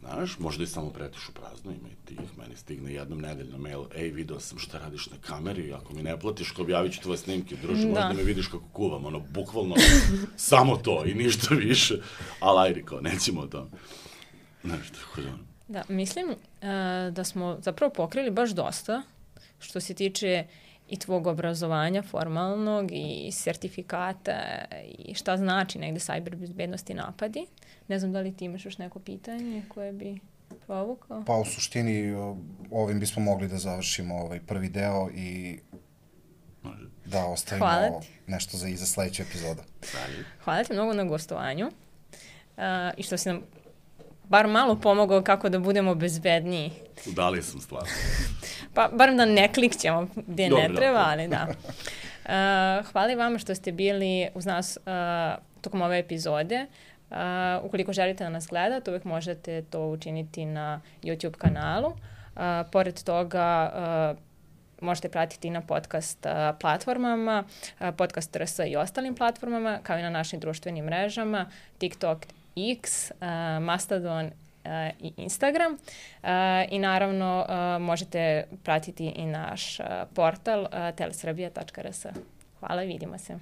Znaš, možda i samo pretiš u prazno, ima i tih, meni stigne jednom nedeljno mail, ej, video sam šta radiš na kameri, ako mi ne platiš, kao objavit ću tvoje snimke, druže, da. Možda me vidiš kako kuvam, ono, bukvalno, samo to i ništa više, ali ajde, kao, nećemo o tome. Znaš, tako da... Da, mislim uh, da smo zapravo pokrili baš dosta, što se tiče i tvog obrazovanja formalnog i sertifikata i šta znači negde cyber bezbednost i napadi. Ne znam da li ti imaš još neko pitanje koje bi provukao? Pa u suštini ovim bismo mogli da završimo ovaj prvi deo i da ostavimo nešto za iza sledeću epizodu. Hvala ti mnogo na gostovanju uh, i što si nam bar malo pomogao kako da budemo bezbedniji. Udalio sam stvarno. Pa, barem da ne klikćemo gde ne treba, ali da. Uh, hvala i vama što ste bili uz nas uh, tokom ove epizode. Uh, ukoliko želite da nas gledate, uvek možete to učiniti na YouTube kanalu. Uh, pored toga, uh, možete pratiti na podcast uh, platformama, uh, podcast R S i ostalim platformama, kao i na našim društvenim mrežama, TikTok, X, uh, Mastodon uh, i Instagram. Uh, I naravno uh, možete pratiti i naš uh, portal uh, telesrbija tačka r s. Hvala i vidimo se.